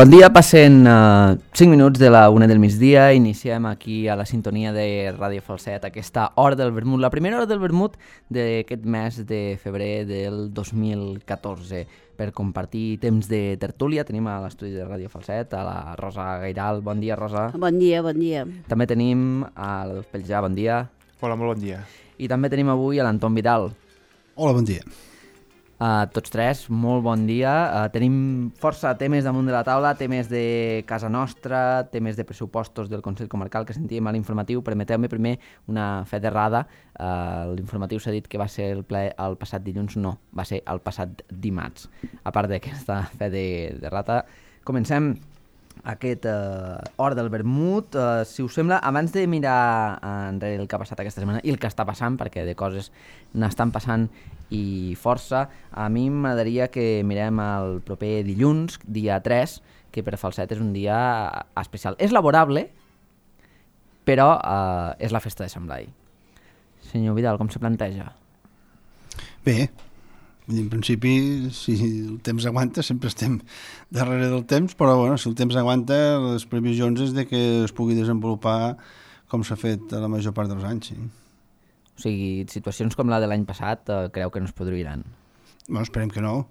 Bon dia, passen 5 minuts de la 1 del migdia, iniciem aquí a la sintonia de Ràdio Falset aquesta hora del vermut, la primera hora del vermut d'aquest mes de febrer del 2014. Per compartir temps de tertúlia tenim a l'estudi de Ràdio Falset a la Rosa Gairal. Bon dia, Rosa. Bon dia, bon dia. També tenim a l'Adolf Peljà, bon dia. Hola, molt bon dia. I també tenim avui a l'Anton Vidal. Hola, bon dia. Tots tres, molt bon dia. Tenim força temes damunt de la taula, temes de casa nostra, temes de pressupostos del Consell Comarcal que sentíem a l'informatiu. Permeteu-me primer una fe d'errada. L'informatiu s'ha dit que va ser el ple el passat dilluns, no, va ser el passat dimarts. A part d'aquesta fe d'errada, comencem aquest hora del vermut. Si us sembla, abans de mirar enrere el que ha passat aquesta setmana i el que està passant, perquè de coses n'estan passant i força, a mi m'agradaria que mirem el proper dilluns, dia 3, que per Falset és un dia especial. És laborable, però és la festa de Sant Blai. Senyor Vidal, com se planteja? Bé, en principi, si el temps aguanta, sempre estem darrere del temps, però bueno, si el temps aguanta, les previsions és de que es pugui desenvolupar com s'ha fet a la major part dels anys, sí. O sigui, situacions com la de l'any passat creu que no es produiran? Bueno, esperem que no.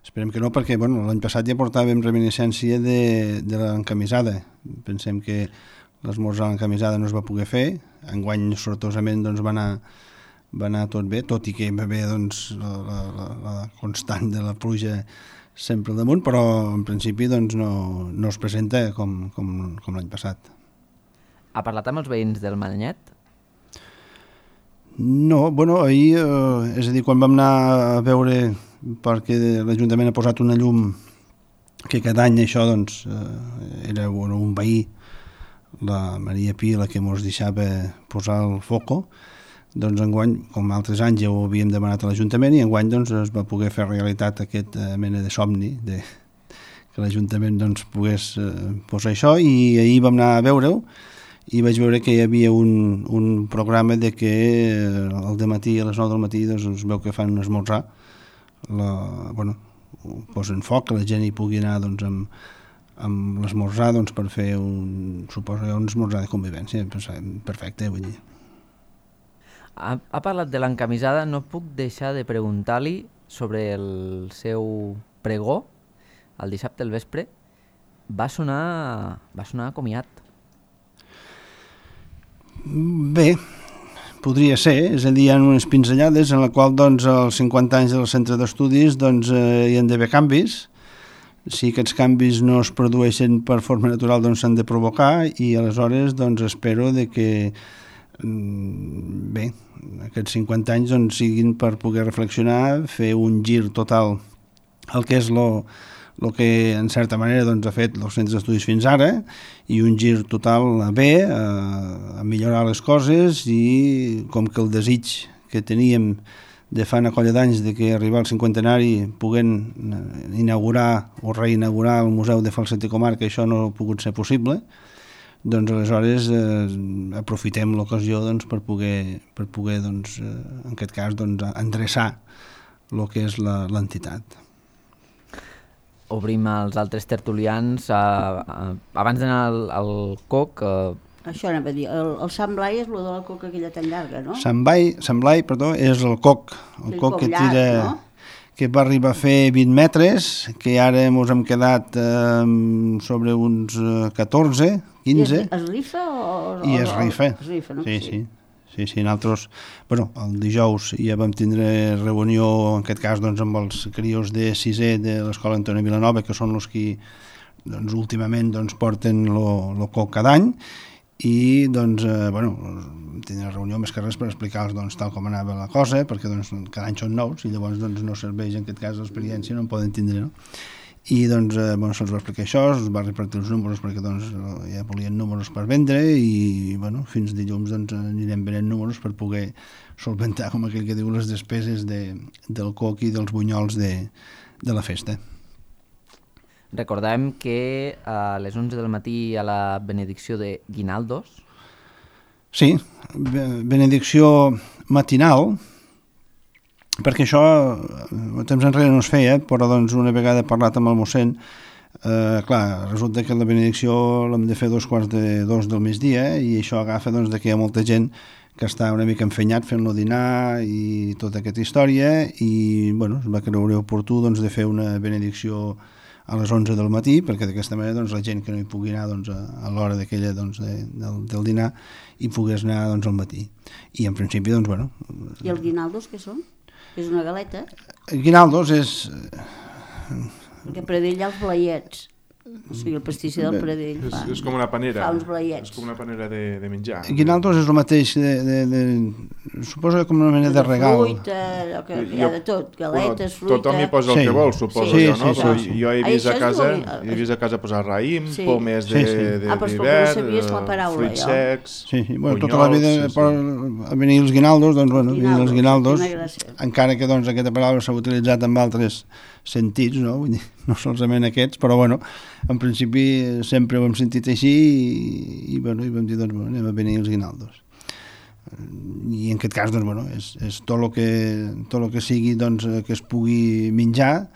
Esperem que no, perquè bueno, l'any passat ja portàvem reminiscència de l'encamisada. Pensem que l'esmorzar a l'encamisada no es va poder fer. Enguany, sortosament, doncs, va anar tot bé, tot i que va haver doncs, la constant de la pluja sempre al damunt, però en principi doncs, no es presenta com l'any passat. Ha parlat amb els veïns del Madanyet? No, bueno, ahir, és a dir, quan vam anar a veure, perquè l'Ajuntament ha posat una llum que cada any això, doncs, era un veí, la Maria Pi, la que ens deixava posar el foco, doncs enguany, com altres anys ja ho havíem demanat a l'Ajuntament i enguany doncs, es va poder fer realitat aquesta mena de somni que l'Ajuntament doncs, pogués posar això i ahir vam anar a veure-ho i vaig veure que hi havia un programa de que al dematí, a les 9 del matí, doncs es veu que fan un esmorzar. Bueno, ho posen foc, que la gent hi pugui anar doncs, amb l'esmorzar doncs, per fer un esmorzar de convivència. Perfecte, vull dir. Ha parlat de l'encamisada, no puc deixar de preguntar-li sobre el seu pregó el dissabte al vespre. Va sonar comiat. Bé, podria ser, és a dir, hi ha unes pinzellades en la qual doncs, als 50 anys del centre d'estudis doncs, hi ha d'haver canvis. Si aquests canvis no es produeixen per forma natural doncs s'han de provocar i aleshores doncs, espero de que bé, aquests 50 anys doncs, siguin per poder reflexionar, fer un gir total al que és el que en certa manera doncs, ha fet els centres d'estudis fins ara i un gir total a bé, a millorar les coses i com que el desig que teníem de fa una colla d'anys de que arribar al cinquantenari puguem inaugurar o reinaugurar el Museu de Falset i Comarca, això no ha pogut ser possible, doncs aleshores aprofitem l'ocasió doncs, per poder doncs, en aquest cas doncs, endreçar el que és l'entitat. Obrim els altres tertulians. Abans d'anar al COC... Això anava a dir, el Sant Blai és el de la coca aquella tan llarga, no? Sant Blai, perdó, és el coc que tira, llarg, no? Que va arribar a fer 20 metres, que ara ens hem quedat sobre uns 14, 15. I es rifa o... I es rifa. Es rifa, no? Sí, nosaltres, bueno, el dijous ja vam tindre reunió, en aquest cas, doncs, amb els crios de 6è de l'Escola Antoni Vilanova, que són els que doncs, últimament doncs, porten el coc cada any, i doncs, bueno, tindré reunió més que res per explicar-los doncs, tal com anava la cosa, perquè doncs, cada any són nous i llavors doncs, no serveix en aquest cas l'experiència, no en poden tindre, no? I doncs, bueno, se'ls va explicar això, se'ls va repartir els números perquè doncs, ja volien números per vendre i bueno, fins dilluns doncs, anirem venent números per poder solventar, com aquell que diu, les despeses del coc i dels bunyols de la festa. Recordem que a les 11 del matí hi ha la benedicció de Guinaldos. Sí, benedicció matinal, perquè això temps enrere no es feia, però doncs una vegada he parlat amb el mossèn Clar, resulta que la benedicció l'hem de fer 2:45 del migdia i això agafa doncs, que hi ha molta gent que està una mica enfenyat fent-lo dinar i tota aquesta història i bueno, es va creure oportú doncs, de fer una benedicció a les 11 del matí perquè d'aquesta manera doncs, la gent que no hi pugui anar doncs, a l'hora d'aquella doncs, del dinar hi pogués anar doncs, al matí i en principi doncs bueno... I els guinaldos què són? És una galeta? Guinaldos és... Perquè Pradell hi ha els blaiets. O sigui, el pastisser del Pradell fa... És com una panera. Fa uns blaiets. És com una panera de menjar. Guinaldos és el mateix suposo com una mena de regal. Fruita, allò que hi ha de tot, galetes, fruita... Tothom hi posa el que vol, suposo sí, jo, no? Sí. Jo he vist a casa posar raïm, pomes Ah, però no sabies la paraula, fruits jo. secs, Sí, bueno, tota la vida a venir els guinaldos, doncs bueno, venir els guinaldos, encara que doncs aquesta paraula s'ha utilitzat amb altres sentits, no? Vull dir, no solament aquests, però bueno, en principi sempre ho hem sentit així i bueno, i vam dir, doncs, bueno, anem a venir els guinaldos. I en aquest cas, doncs, bueno, és tot el que sigui doncs, que es pugui menjar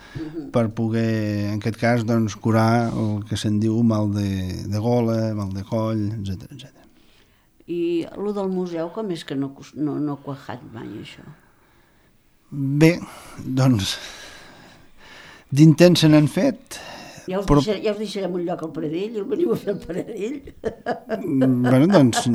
per poder, en aquest cas, doncs, curar el que se'n diu mal de gola, mal de coll, etc. I el del museu, com és que no ha quajat mai, això? Bé, doncs... d'intents se n'han fet. Ja us deixarem un lloc al Pradell i el veniu a fer al Pradell. Bueno, doncs,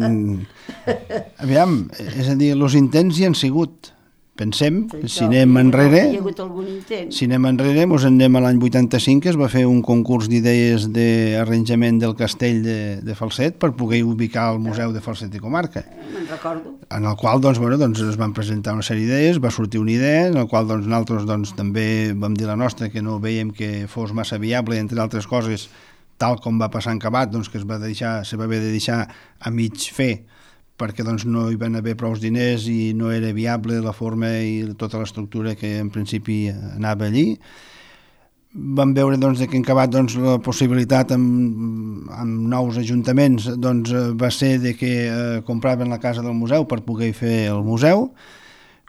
aviam, és a dir, els intents hi han sigut. Pensem, si anem enrere, Hi ha hagut algun intent. si anem enrere, ens en anem a l'any 85, que es va fer un concurs d'idees d'arranjament del castell de Falset per poder ubicar el Museu de Falset i Comarca. Me'n recordo. En el qual doncs, bueno, doncs, es van presentar una sèrie d'idees, va sortir una idea, en el qual doncs, nosaltres doncs, també vam dir la nostra, que no veiem que fos massa viable, entre altres coses, tal com va passar en Cabat, doncs, que se va haver de deixar a mig fer, perquè doncs, no hi van haver prou diners i no era viable la forma i tota l'estructura que en principi anava allí. Vam veure doncs, que en Cabat doncs, la possibilitat amb nous ajuntaments doncs, va ser de que compraven la casa del museu per poder fer el museu.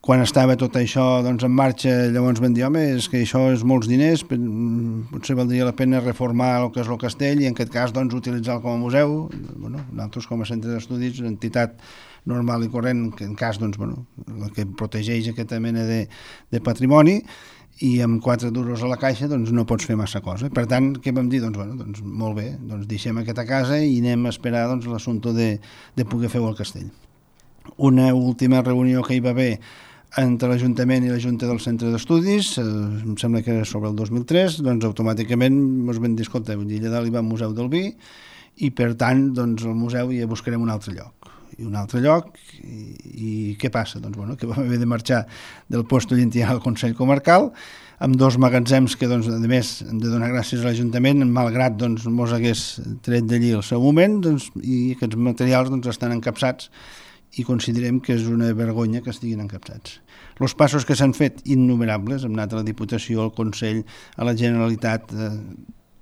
Quan estava tot això doncs, en marxa, llavors vam dir, home, és que això és molts diners, potser valdria la pena reformar el que és el castell i en aquest cas doncs, utilitzar-lo com a museu. Bueno, nosaltres com a centre d'estudis, una entitat normal i corrent, que en cas doncs, bueno, la que protegeix aquesta mena de patrimoni, i amb 4 duros a la caixa doncs, no pots fer massa cosa. Per tant, què vam dir? Doncs, bueno, doncs, molt bé, doncs, deixem aquesta casa i anem a esperar doncs, l'assumpte de poder fer el castell. Una última reunió que hi va haver entre l'Ajuntament i la Junta del Centre d'Estudis, em sembla que era sobre el 2003, doncs automàticament ens vam dir, escolta, allà dalt hi va al Museu del Vi i per tant doncs, el museu ja buscarem un altre lloc. I què passa? Doncs bueno, que vam haver de marxar del Posto Llentinal al Consell Comarcal amb 2 magatzems que, doncs, a més, hem de donar gràcies a l'Ajuntament, malgrat doncs, mos hagués tret d'allí al seu moment, doncs, i aquests materials doncs, estan encapçats i considerem que és una vergonya que estiguin encapçats. Els passos que s'han fet innumerables, hem anat a la Diputació, al Consell, a la Generalitat,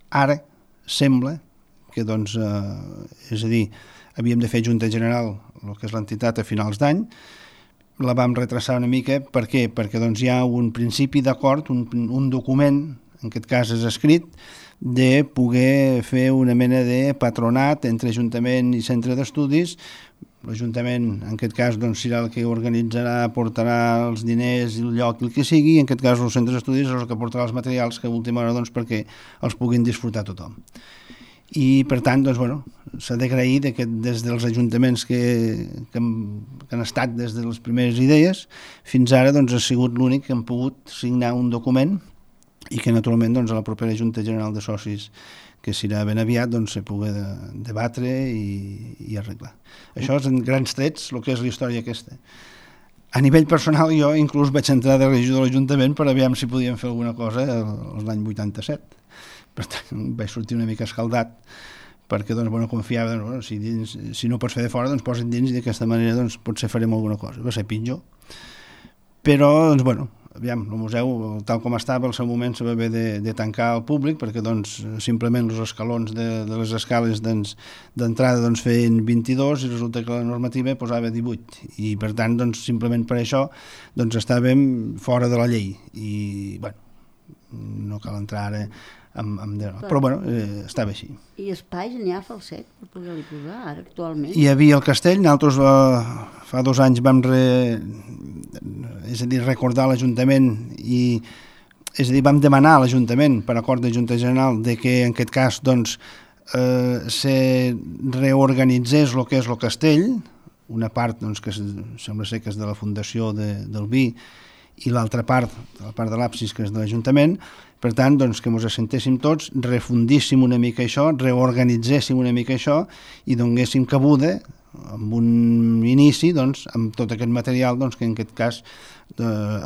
ara sembla que, doncs, és a dir, havíem de fer Junta General, el que és l'entitat, a finals d'any, la vam retrasar una mica, per què? Perquè doncs, hi ha un principi d'acord, un document, en aquest cas és escrit, de poder fer una mena de patronat entre Ajuntament i Centre d'Estudis. L'Ajuntament, en aquest cas, doncs, serà el que organitzarà, portarà els diners, el lloc, el que sigui, i en aquest cas els centres d'estudis és el que portarà els materials que a última hora doncs, perquè els puguin disfrutar tothom. I per tant, doncs, bueno, s'ha d'agrair que des dels ajuntaments que han estat des de les primeres idees fins ara doncs, ha sigut l'únic que han pogut signar un document i que naturalment doncs, a la propera Junta General de Socis que serà ben aviat, doncs, se pugui debatre i arreglar. Això és en grans trets el que és la història aquesta. A nivell personal jo inclús vaig entrar de regidor de l'Ajuntament per aviam si podíem fer alguna cosa l'any 87. Per tant, vaig sortir una mica escaldat perquè doncs, bueno, confiava, bueno, si no pots fer de fora, doncs posa't dins i d'aquesta manera doncs, potser farem alguna cosa. Va ser pitjor. Però, doncs, bueno, aviam, el museu, tal com estava, al seu moment se va haver de tancar al públic perquè doncs, simplement els escalons de les escales d'entrada doncs, feien 22 i resulta que la normativa posava 18 i per tant, doncs, simplement per això doncs, estàvem fora de la llei i, bueno, no cal entrar ara Però bueno, estava així. I espais n'hi ha Falset per poder-li posar ara actualment? Hi havia el castell, nosaltres fa 2 anys vam recordar l'Ajuntament vam demanar a l'Ajuntament per acord de Junta General de que en aquest cas doncs se reorganitzés el que és el castell, una part doncs, que sembla ser que és de la Fundació del Vi i l'altra part, la part de l'absis que és de l'Ajuntament. Per tant, doncs, que ens assentéssim tots, refundíssim una mica això, reorganitzéssim una mica això i donéssim cabuda amb un inici doncs, amb tot aquest material doncs, que en aquest cas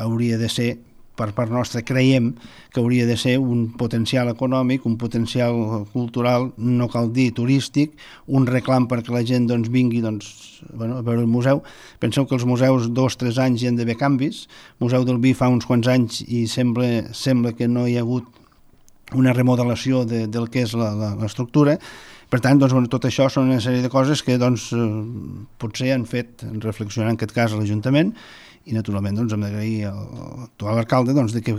hauria de ser, per part nostra creiem que hauria de ser un potencial econòmic, un potencial cultural, no cal dir turístic, un reclam perquè la gent doncs, vingui doncs, a veure el museu. Penseu que els museus 2-3 anys hi han d'haver canvis. El Museu del Vi fa uns quants anys i sembla que no hi ha hagut una remodelació del que és l'estructura. Per tant, doncs, tot això són una sèrie de coses que doncs, potser han fet reflexionar en aquest cas a l'Ajuntament i naturalment doncs, hem d'agrair a l'actual alcalde doncs, que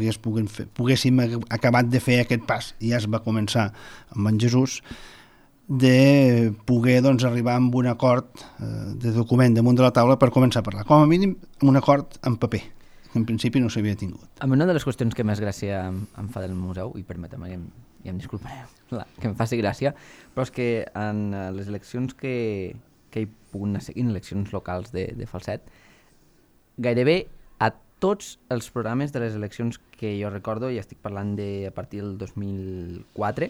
poguéssim acabat de fer aquest pas, i ja es va començar amb en Jesús, de poder doncs, arribar amb un acord de document damunt de la taula per començar a parlar, com a mínim un acord en paper, que en principi no s'havia tingut. A mi una de les qüestions que més gràcia em fa del museu, i permetem que ja em disculpareu que em faci gràcia, però és que en les eleccions que hi puguin anar seguint, eleccions locals de Falset, gairebé a tots els programes de les eleccions que jo recordo, i estic parlant a partir del 2004,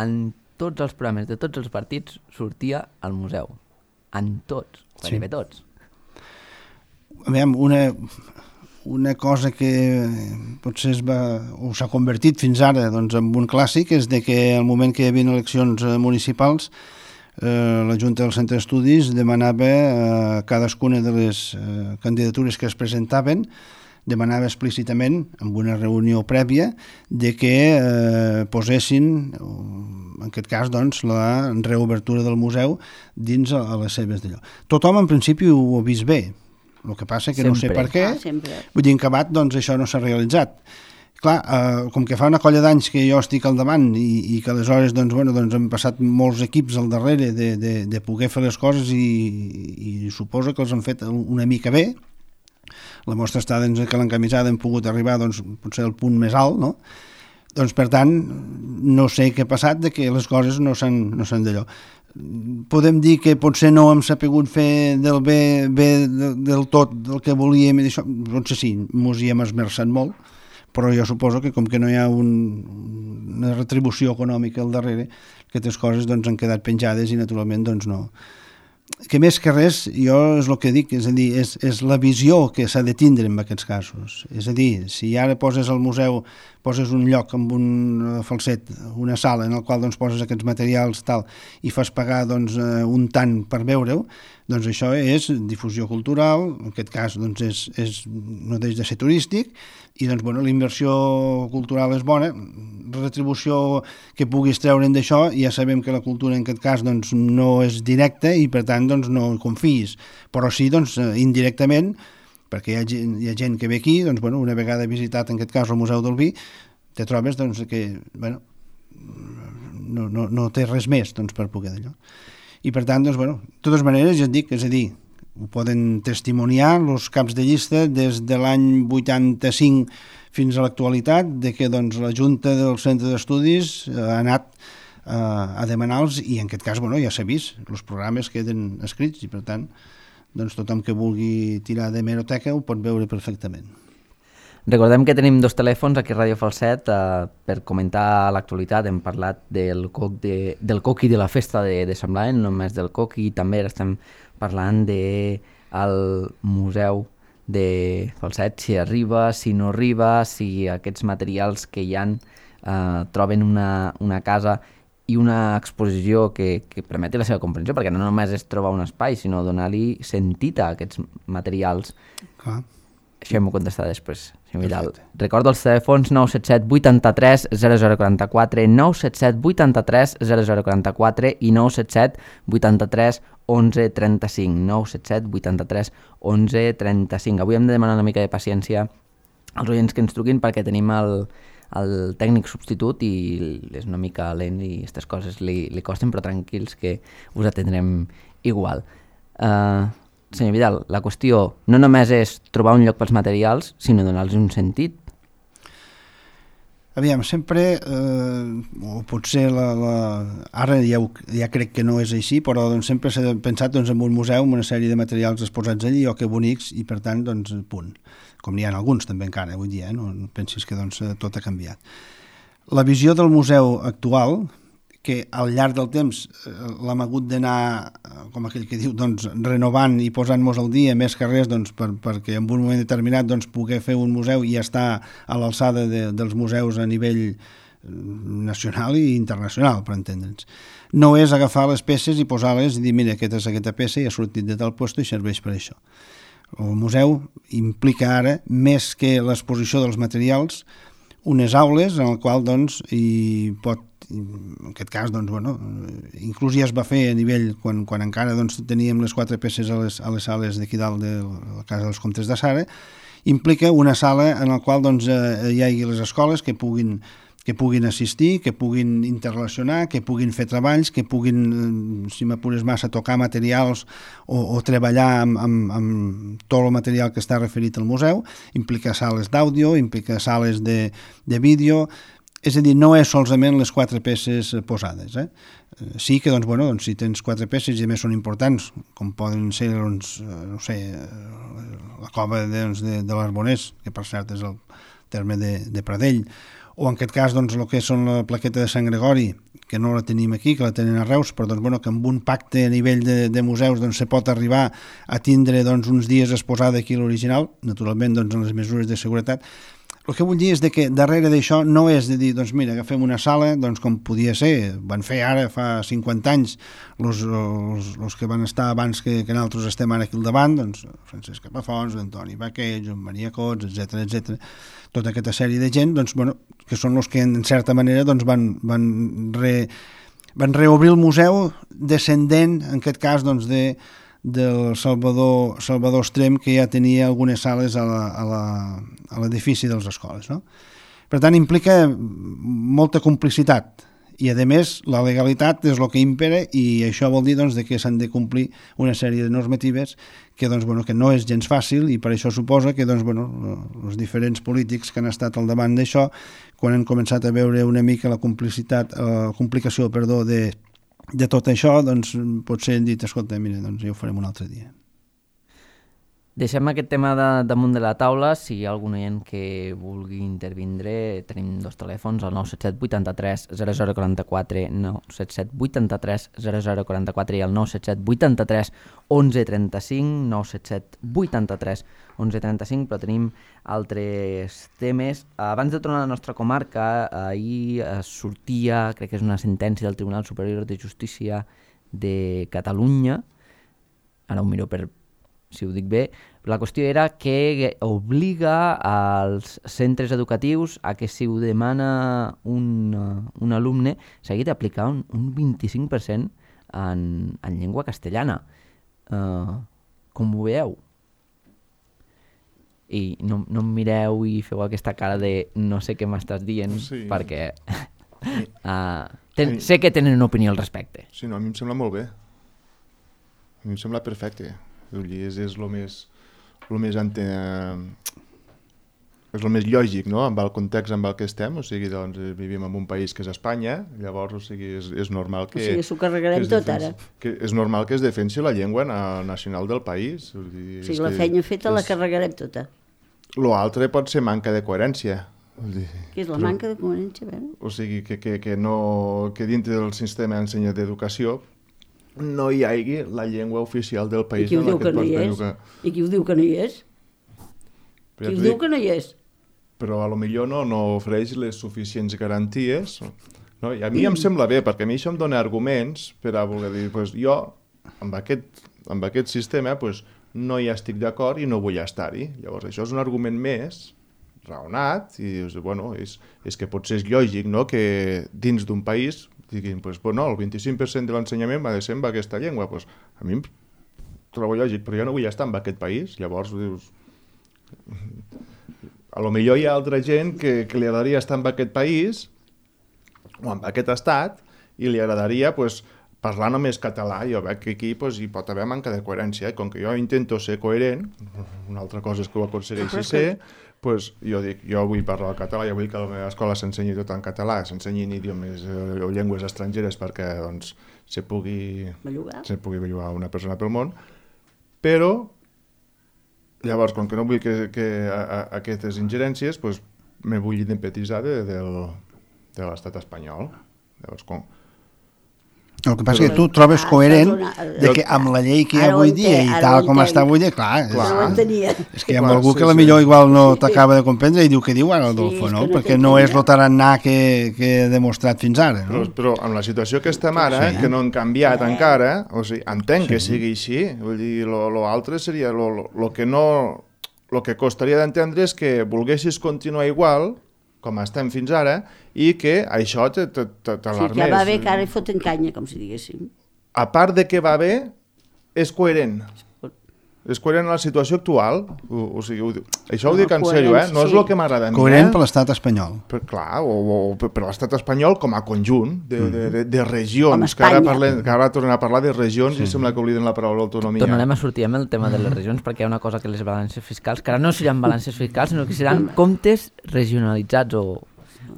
en tots els programes de tots els partits sortia al museu. En tots, gairebé tots. Una cosa que potser s'ha convertit fins ara doncs, en un clàssic és de que al moment que hi havia eleccions municipals la Junta del Centre d'Estudis demanava a cadascuna de les candidatures que es presentaven, demanava explícitament, en una reunió prèvia, de que posessin, en aquest cas, doncs, la reobertura del museu dins a les seves d'allò. Tothom, en principi, ho ha vist bé. El que passa que no sé per què. Vull dir, en acabat, doncs, això no s'ha realitzat. Clar, com que fa una colla d'anys que jo estic al davant i que aleshores doncs, hem passat molts equips al darrere de poder fer les coses i suposo que els han fet una mica bé. La mostra està que l'encamisada hem pogut arribar doncs, potser al punt més alt, no? Doncs, per tant, no sé què ha passat de que les coses no s'han d'allò. Podem dir que potser no hem sapigut fer del bé del tot del que volíem i d'això, potser sí, mos hi hem esmerçat molt, però jo suposo que com que no hi ha una retribució econòmica al darrere, aquestes coses doncs, han quedat penjades i naturalment doncs, no. Que més que res, jo és el que dic, és a dir, és la visió que s'ha de tindre en aquests casos. És a dir, si ara poses al museu, poses un lloc amb un Falset, una sala en la qual doncs, poses aquests materials tal, i fas pagar doncs, un tant per veure-ho, doncs això és difusió cultural, en aquest cas doncs, no deix de ser turístic, i doncs, la inversió cultural és bona, retribució que puguis treure'n d'això, ja sabem que la cultura en aquest cas doncs, no és directa i per tant doncs, no confiïs, però sí doncs, indirectament, perquè hi ha gent que ve aquí, doncs, una vegada visitat en aquest cas el Museu del Vi, te trobes doncs, que no té res més doncs, per poder d'allò. I per tant, doncs, de totes maneres, ja et dic, és a dir, ho poden testimoniar els caps de llista des de l'any 85 fins a l'actualitat, de que doncs, la Junta del Centre d'Estudis ha anat a demanar-los i en aquest cas ja s'ha vist, els programes queden escrits i per tant doncs, tothom que vulgui tirar de hemeroteca ho pot veure perfectament. Recordem que tenim 2 telèfons aquí a Ràdio Falset per comentar l'actualitat. Hem parlat del coc i de la festa de Sant Blai, no només del coc, i també estem parlant del museu de Falset, si arriba, si no arriba, si aquests materials que hi ha troben una casa i una exposició que permeti la seva comprensió, perquè no només és trobar un espai, sinó donar-li sentit a aquests materials. Clar. Això m'ho contestarà després. Recordo els telèfons 977 83 0044, 977 83 0044 i 977 83 11 35, 977 83 11 35. Avui hem de demanar una mica de paciència als oients que ens truquin perquè tenim el el tècnic substitut i és una mica lent i aquestes coses li costen, però tranquils que us atendrem igual. Senyor Vidal, la qüestió no només és trobar un lloc pels materials, sinó donar-los un sentit. Aviam, sempre, o potser ara ja crec que no és així, però doncs, sempre s'ha pensat en un museu amb una sèrie de materials exposats allí, que bonics, i per tant, doncs, punt. Com n'hi ha alguns també encara avui dia, no pensis que doncs, tot ha canviat. La visió del museu actual, que al llarg del temps l'hem hagut d'anar, com aquell que diu, doncs, renovant i posant-nos al dia més que res doncs, perquè en un moment determinat doncs, poder fer un museu i estar a l'alçada dels museus a nivell nacional i internacional, per entendre'ns. No és agafar les peces i posar-les i dir, mira, aquesta és aquesta peça i ha sortit de tal lloc i serveix per això. El museu implica ara, més que l'exposició dels materials, unes aules en el qual doncs, hi pot, en aquest cas, doncs, bueno, inclús ja es va fer a nivell, quan encara doncs, teníem les 4 peces a les sales d'aquí dalt de la Casa dels Comtes de Sara, implica una sala en la qual doncs, hi hagi les escoles que puguin assistir, que puguin interrelacionar, que puguin fer treballs, que puguin, si m'apures massa, tocar materials o treballar amb tot el material que està referit al museu. Implica sales d'àudio, implica sales de vídeo, és a dir, no és solament les 4 peces posades. Sí que, doncs, bueno, si tens 4 peces i a més són importants, com poden ser, doncs, no sé, la cova de l'Arbonès, que per cert és el terme de Pradell, o en aquest cas doncs, el que són la plaqueta de Sant Gregori, que no la tenim aquí, que la tenen a Reus, però doncs, bueno, que amb un pacte a nivell de museus doncs, se pot arribar a tindre doncs, uns dies exposada aquí l'original, naturalment doncs, en les mesures de seguretat. El que vull dir és que darrere d'això no és de dir, doncs mira, agafem una sala, doncs com podia ser, van fer ara fa 50 anys els que van estar abans que nosaltres estem ara aquí al davant, doncs Francesc Capafons, Antoni Baquet, Joan Maria Cots, etc. Tota aquesta sèrie de gent, doncs, bueno, que són els que en certa manera doncs, van reobrir el museu descendent, en aquest cas, doncs, del Salvador Estrem, que ja tenia algunes sales a l'edifici de les escoles. No? Per tant, implica molta complicitat i, a més, la legalitat és el que impera i això vol dir doncs, que s'han de complir una sèrie de normatives que, doncs, bueno, que no és gens fàcil i per això suposa que doncs, bueno, els diferents polítics que han estat al davant d'això, quan han començat a veure una mica la complicació de tot això, doncs potser han dit, escolta, mira, doncs ja ho farem un altre dia. Deixem aquest tema damunt de la taula. Si hi ha algun oient que vulgui intervindre, tenim 2 telèfons, el 977 83 0044, 977 83 0044 i el 977 83 1135, 977 83 1135, però tenim altres temes. Abans de tornar a la nostra comarca, ahir sortia, crec que és una sentència del Tribunal Superior de Justícia de Catalunya, ara ho miro per si ho dic bé, la qüestió era que obliga als centres educatius a que si ho demana un alumne s'hagi d'aplicar un 25% en llengua castellana. Com ho veieu? I no em mireu i feu aquesta cara de no sé què m'estàs dient, sí. Perquè sé que tenen una opinió al respecte. Sí, no, a mi em sembla molt bé. A mi em sembla perfecte. És el més és el més lògic, no?, amb el context amb el que estem, o sigui, doncs vivim en un país que és Espanya, llavors, o sigui, és normal que... O sigui, s'ho carregarem tot ara. És normal que es defensi la llengua nacional del país. O sigui, la feina feta la carregarem tota. L'altre pot ser manca de coherència. Què és la manca de coherència? O sigui, que dintre del sistema d'ensenyament d'educació no hi hagi la llengua oficial del país. I qui ho diu que no hi és? I qui ho diu que no hi és? Qui ho diu que no hi és? Però a lo millor no ofereix les suficients garanties. No? I a mi em sembla bé, perquè a mi això em dona arguments per a voler dir, pues, jo amb aquest sistema pues, no hi estic d'acord i no vull estar-hi. Llavors això és un argument més raonat i dius, bueno, és que potser és lògic, no?, que dins d'un país diguin, pues, no, el 25% de l'ensenyament va de ser en aquesta llengua. Pues, a mi em trobo lògic, però jo no vull estar en aquest país. Llavors dius, a lo millor hi ha altra gent que li agradaria estar en aquest país o en aquest estat i li agradaria pues, parlar només català. Jo veig que aquí pues, hi pot haver manca de coherència. Com que jo intento ser coherent, una altra cosa és que ho aconsegueixi ser, pues, jo dic, jo vull parlar el català, jo vull que a la meva escola s'ensenyi tot en català, s'ensenyin idiomes o llengües estrangeres perquè doncs, se pugui bellugar una persona pel món, però llavors, com que no vull que aquestes ingerències, pues, me vull independentitzar de l'estat espanyol. Llavors, El que passa és que tu trobes coherent de que amb la llei que hi ha avui dia i tal com està avui dia, clar, és que hi ha algú que potser igual no t'acaba de comprendre i diu que diu ara Adolfo, no? Perquè no és el tarannà que he demostrat fins ara, no? Però amb la situació que estem ara, que no han canviat encara, o sigui, entenc que sigui així, vull dir, l'altre seria, el que costaria d'entendre és que volguessis continuar igual, com estem fins ara, i que això t'alarmés. Sí, que va bé que ara hi foten canya, com si diguéssim. A part de que va bé, és coherent. És coherent a la situació actual. O sigui, això ho dic en sèrio, no és el que m'agrada a mi. Coherent per l'estat espanyol. Clar, o per l'estat espanyol com a conjunt de regions, que ara tornem a parlar de regions i sembla que obliden la paraula autonomia. Tornarem a sortir amb el tema de les regions perquè hi ha una cosa que les balances fiscals, que ara no seran balances fiscals, sinó que seran comptes regionalitzats o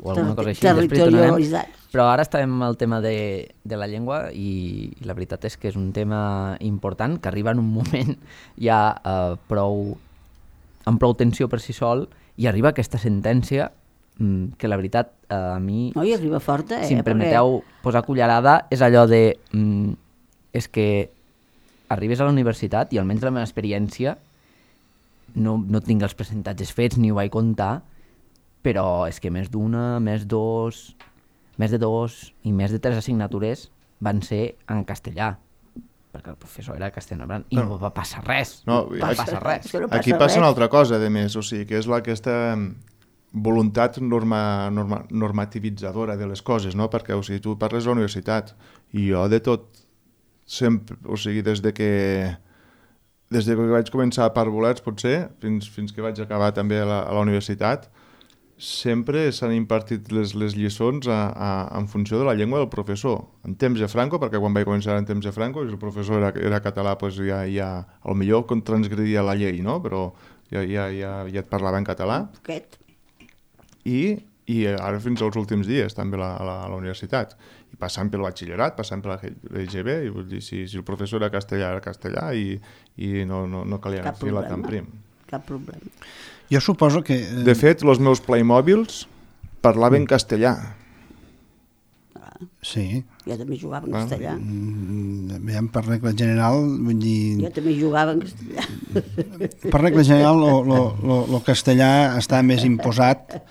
alguna cosa així. Territorialitzats. Però ara estàvem amb el tema de la llengua i la veritat és que és un tema important que arriba en un moment ja amb prou tensió per si sol i arriba aquesta sentència que la veritat a mi... No, i arriba forta, si em permeteu posar cullerada, és allò de... és que arribes a la universitat i almenys la meva experiència no tinc els percentatges fets ni ho vaig comptar, però és que més d'una, més de dos i més de 3 assignatures van ser en castellà, perquè el professor era castellà i no va passar res. Aquí passa una altra cosa, a més, o sigui, que és aquesta voluntat normativitzadora de les coses, no? Perquè, o sigui, tu parles de la universitat i jo de tot sempre, o sigui, des que vaig començar a Parvulets, potser, fins que vaig acabar també a la universitat, sempre s'han impartit les lliçons en funció de la llengua del professor. En temps de Franco, perquè quan vaig començar en temps de Franco, i el professor era català, doncs ja potser transgredia la llei, no? Però ja et parlava en català. I ara fins als últims dies, també a la universitat. I passant pel batxillerat, passant per la LGB, i vull dir, si el professor era castellà i no calia filar tan prim. Cap problema. Jo suposo que... De fet, els meus Playmobils parlaven castellà. Sí. Jo també jugava en castellà. Per regla general, vull dir... Jo també jugava en castellà. Per regla general, el castellà està més imposat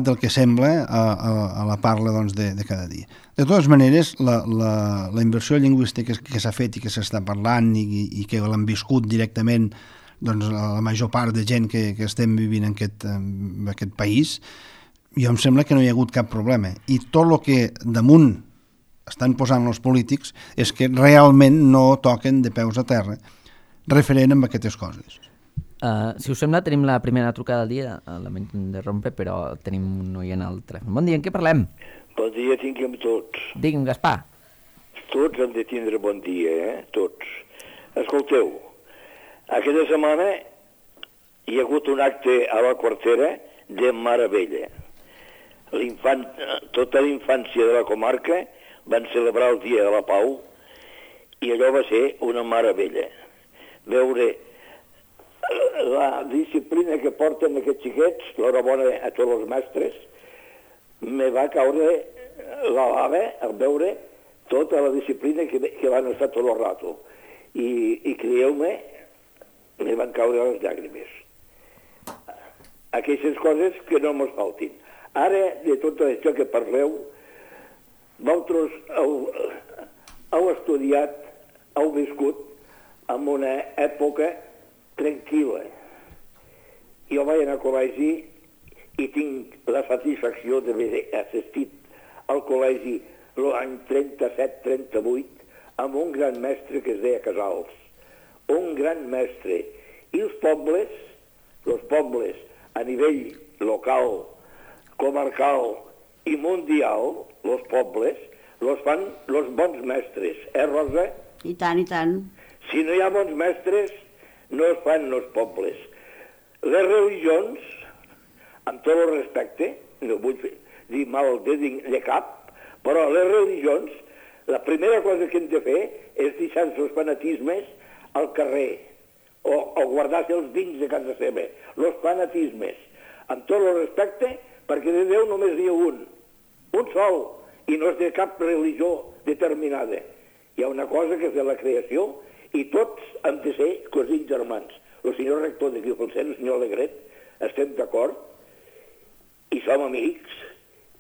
del que sembla a la parla doncs, de cada dia. De totes maneres, la inversió lingüística que s'ha fet i que s'està parlant i que l'han viscut directament doncs, la major part de gent que estem vivint en aquest país, jo em sembla que no hi ha hagut cap problema. I tot el que damunt estan posant els polítics és que realment no toquen de peus a terra referent amb aquestes coses. Si us sembla, tenim la primera trucada del dia. Lamento interrompre, però tenim un oient al telèfon. Bon dia, en què parlem? Bon dia tinguem tots. Digue'm, Gaspar. Tots hem de tindre bon dia, Tots. Escolteu, aquesta setmana hi ha hagut un acte a la Quartera de meravella. Tota la infància de la comarca van celebrar el Dia de la Pau i allò va ser una meravella. Veure la disciplina que porten aquests xiquets, l'horabona a tots els mestres, me va caure la lava al veure tota la disciplina que van estar tot el rato. I creieu-me, me van caure les llàgrimes. Aquestes coses que no mos faltin. Ara, de tot això que parleu, vosaltres heu estudiat, heu viscut en una època tranquil·la. Jo vaig anar al col·legi i tinc la satisfacció d'haver assistit al col·legi l'any 37-38 amb un gran mestre que es deia Casals. Un gran mestre. I els pobles a nivell local, comarcal i mundial, els pobles, els fan els bons mestres, Rosa? I tant, i tant. Si no hi ha bons mestres, no es fan els pobles. Les religions, amb tot el respecte, no vull dir mal de cap, però les religions, la primera cosa que hem de fer és deixar els fanatismes al carrer, o guardar-se els dins de casa seva, els fanatismes, amb tot el respecte, perquè de Déu només n'hi ha un sol, i no és de cap religió determinada. Hi ha una cosa que és de la creació, i tots hem de ser cosins germans. El senyor rector de Guipolsent, el senyor Alegret, estem d'acord, i som amics,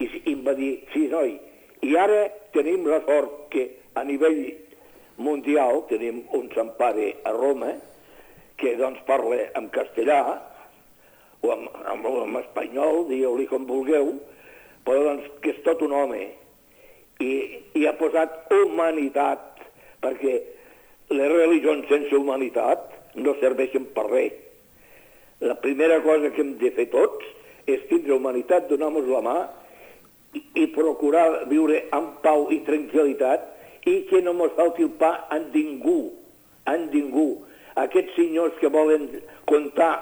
i em va dir, sí, noi, i ara tenim la sort que a nivell mundial tenim un Sant Pare a Roma, que doncs parla en castellà, o en espanyol, digueu-li com vulgueu, però doncs que és tot un home, i ha posat humanitat, perquè les religions sense humanitat no serveixen per res. La primera cosa que hem de fer tots és tindre humanitat, donar-nos la mà i procurar viure amb pau i tranquil·litat i que no ens falti el pa en ningú. Aquests senyors que volen comptar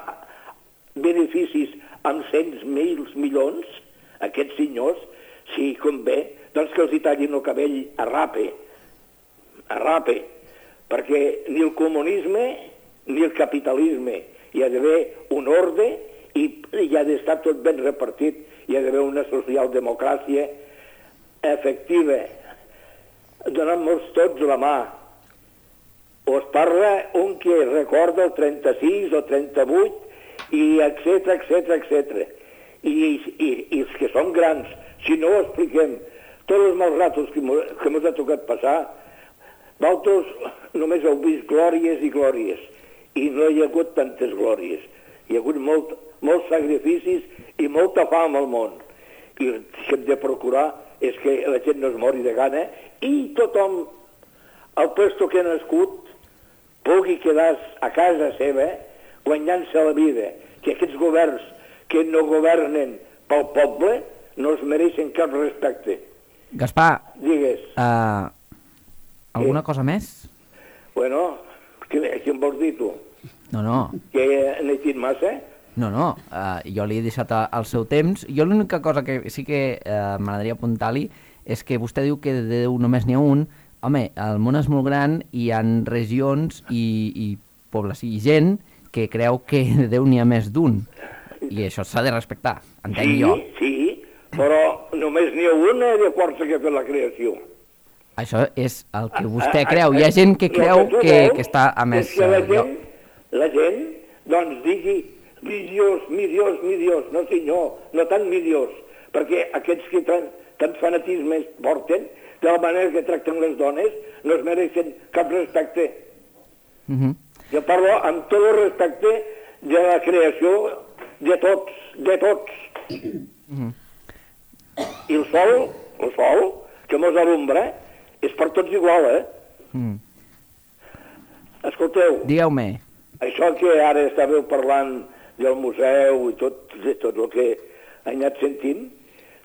beneficis amb cents milions, aquests senyors, si convé, doncs que els hi tallin el cabell a rape, perquè ni el comunisme ni el capitalisme, hi ha d'haver un ordre i hi ha d'estar tot ben repartit, hi ha d'haver una socialdemocràcia efectiva, donant-nos tots la mà. Us parla un que recorda el 36 o 38 i etc. I els que som grans, si no ho expliquem, tots els mals ratos que ens ha tocat passar, vosaltres només heu vist glòries i glòries, i no hi ha hagut tantes glòries. Hi ha hagut molts sacrificis i molta fam al món. I el que hem de procurar és que la gent no es mori de gana i tothom, al puesto que ha nascut, pugui quedar a casa seva guanyant-se la vida, que aquests governs que no governen pel poble no es mereixen cap respecte. Gaspar, Digues. Alguna cosa més? Bueno, què em vols dir tu? No. Que n'he dit massa? No, jo li he deixat el seu temps. Jo l'única cosa que sí que m'agradaria apuntar-li és que vostè diu que de Déu només n'hi ha un. Home, el món és molt gran i hi ha regions i pobles i gent que creu que de Déu n'hi ha més d'un. I això s'ha de respectar, entenc jo. Sí, però només n'hi ha una de força que ha fet la creació. Això és el que vostè creu. Hi ha gent que creu que està a més lloc. La gent, doncs, digui milions, no senyor, no tant milions, perquè aquests que tant fanatismes porten, de la manera que tracten les dones, no es mereixen cap respecte. Jo parlo amb tot el respecte de la creació de tots. I el sol, que mos alumbra, és per tots igual, Escolteu. Digueu-me. Això que ara estàveu parlant del museu i tot el que he anat sentint,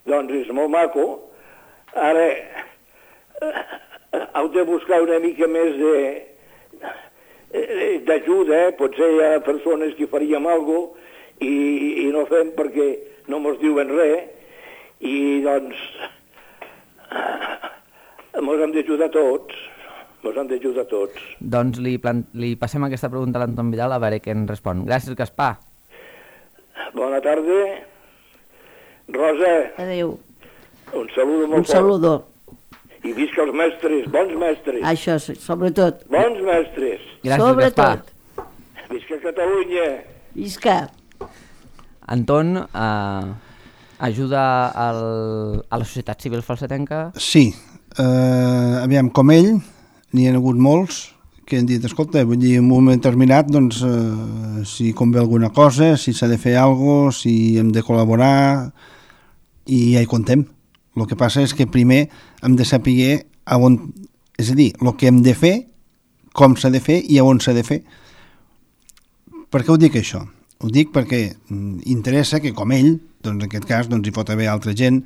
doncs és molt maco. Ara heu de buscar una mica més d'ajuda, potser hi ha persones que faríem alguna cosa i no fem perquè no mos diuen res, i doncs mos hem d'ajudar tots. Doncs li passem aquesta pregunta a l'Anton Vidal a veure què en respon. Gràcies, Gaspar. Bona tarda. Rosa. Adéu. Un saludo molt fort. Un saludo. I visca els mestres, bons mestres. Això, sobretot. Bons mestres. Gràcies, sobretot. Gaspar. Visca Catalunya. Visca. Anton, ajuda a la societat civil falsetenca? Sí. Aviam, com ell, n'hi ha hagut molts que han dit, escolta, vull dir, en un moment determinat, doncs, si convé alguna cosa, si s'ha de fer alguna cosa, si hem de col·laborar, i ja hi contem. El que passa és que primer hem de saber on, és a dir, el que hem de fer, com s'ha de fer i on s'ha de fer. Per què ho dic això? Ho dic perquè interessa que, com ell, doncs en aquest cas hi pot haver altra gent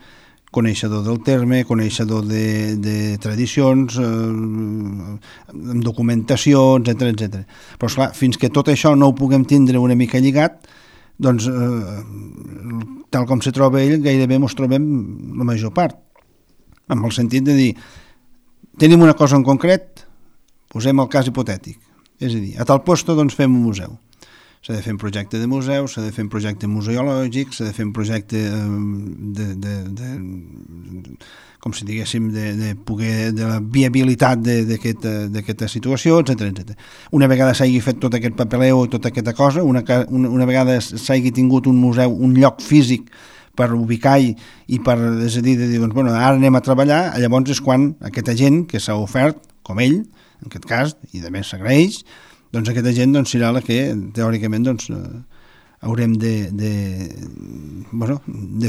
coneixedor del terme, coneixedor de tradicions, amb documentació, etc. Però, esclar, fins que tot això no ho puguem tindre una mica lligat, doncs, tal com se troba ell, gairebé ens trobem la major part. Amb el sentit de dir, tenim una cosa en concret, posem el cas hipotètic. És a dir, a tal lloc doncs fem un museu. S'ha de fer un projecte de museu, s'ha de fer un projecte museològic, s'ha de fer un projecte com si diguéssim, de la viabilitat d'aquesta situació, etc. Una vegada s'hagi fet tot aquest papeleo i tota aquesta cosa, una vegada s'hagi tingut un museu, un lloc físic per ubicar i per decidir de dir, doncs, bueno, ara anem a treballar, llavors és quan aquesta gent que s'ha ofert, com ell, en aquest cas, i de més s'agraeix, doncs aquesta gent serà la que, teòricament, haurem de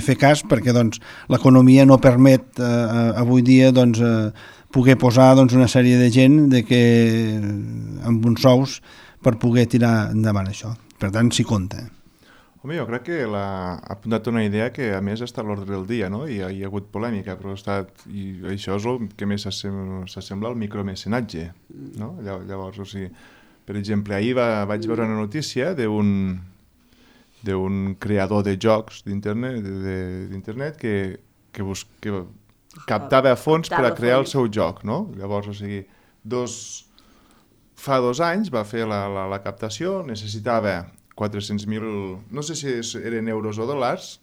fer cas, perquè l'economia no permet avui dia poder posar una sèrie de gent amb uns sous per poder tirar endavant això. Per tant, s'hi compta. Home, jo crec que ha apuntat una idea que a més està a l'ordre del dia, no? I hi ha hagut polèmica, però i això és el que més s'assembla al micromecenatge, no? Llavors, o sigui, per exemple, ahir vaig veure una notícia d'un creador de jocs d'internet que captava fons per a crear el seu joc, no? Llavors, o sigui, fa 2 anys va fer la captació, necessitava 400.000, no sé si eren euros o dòlars,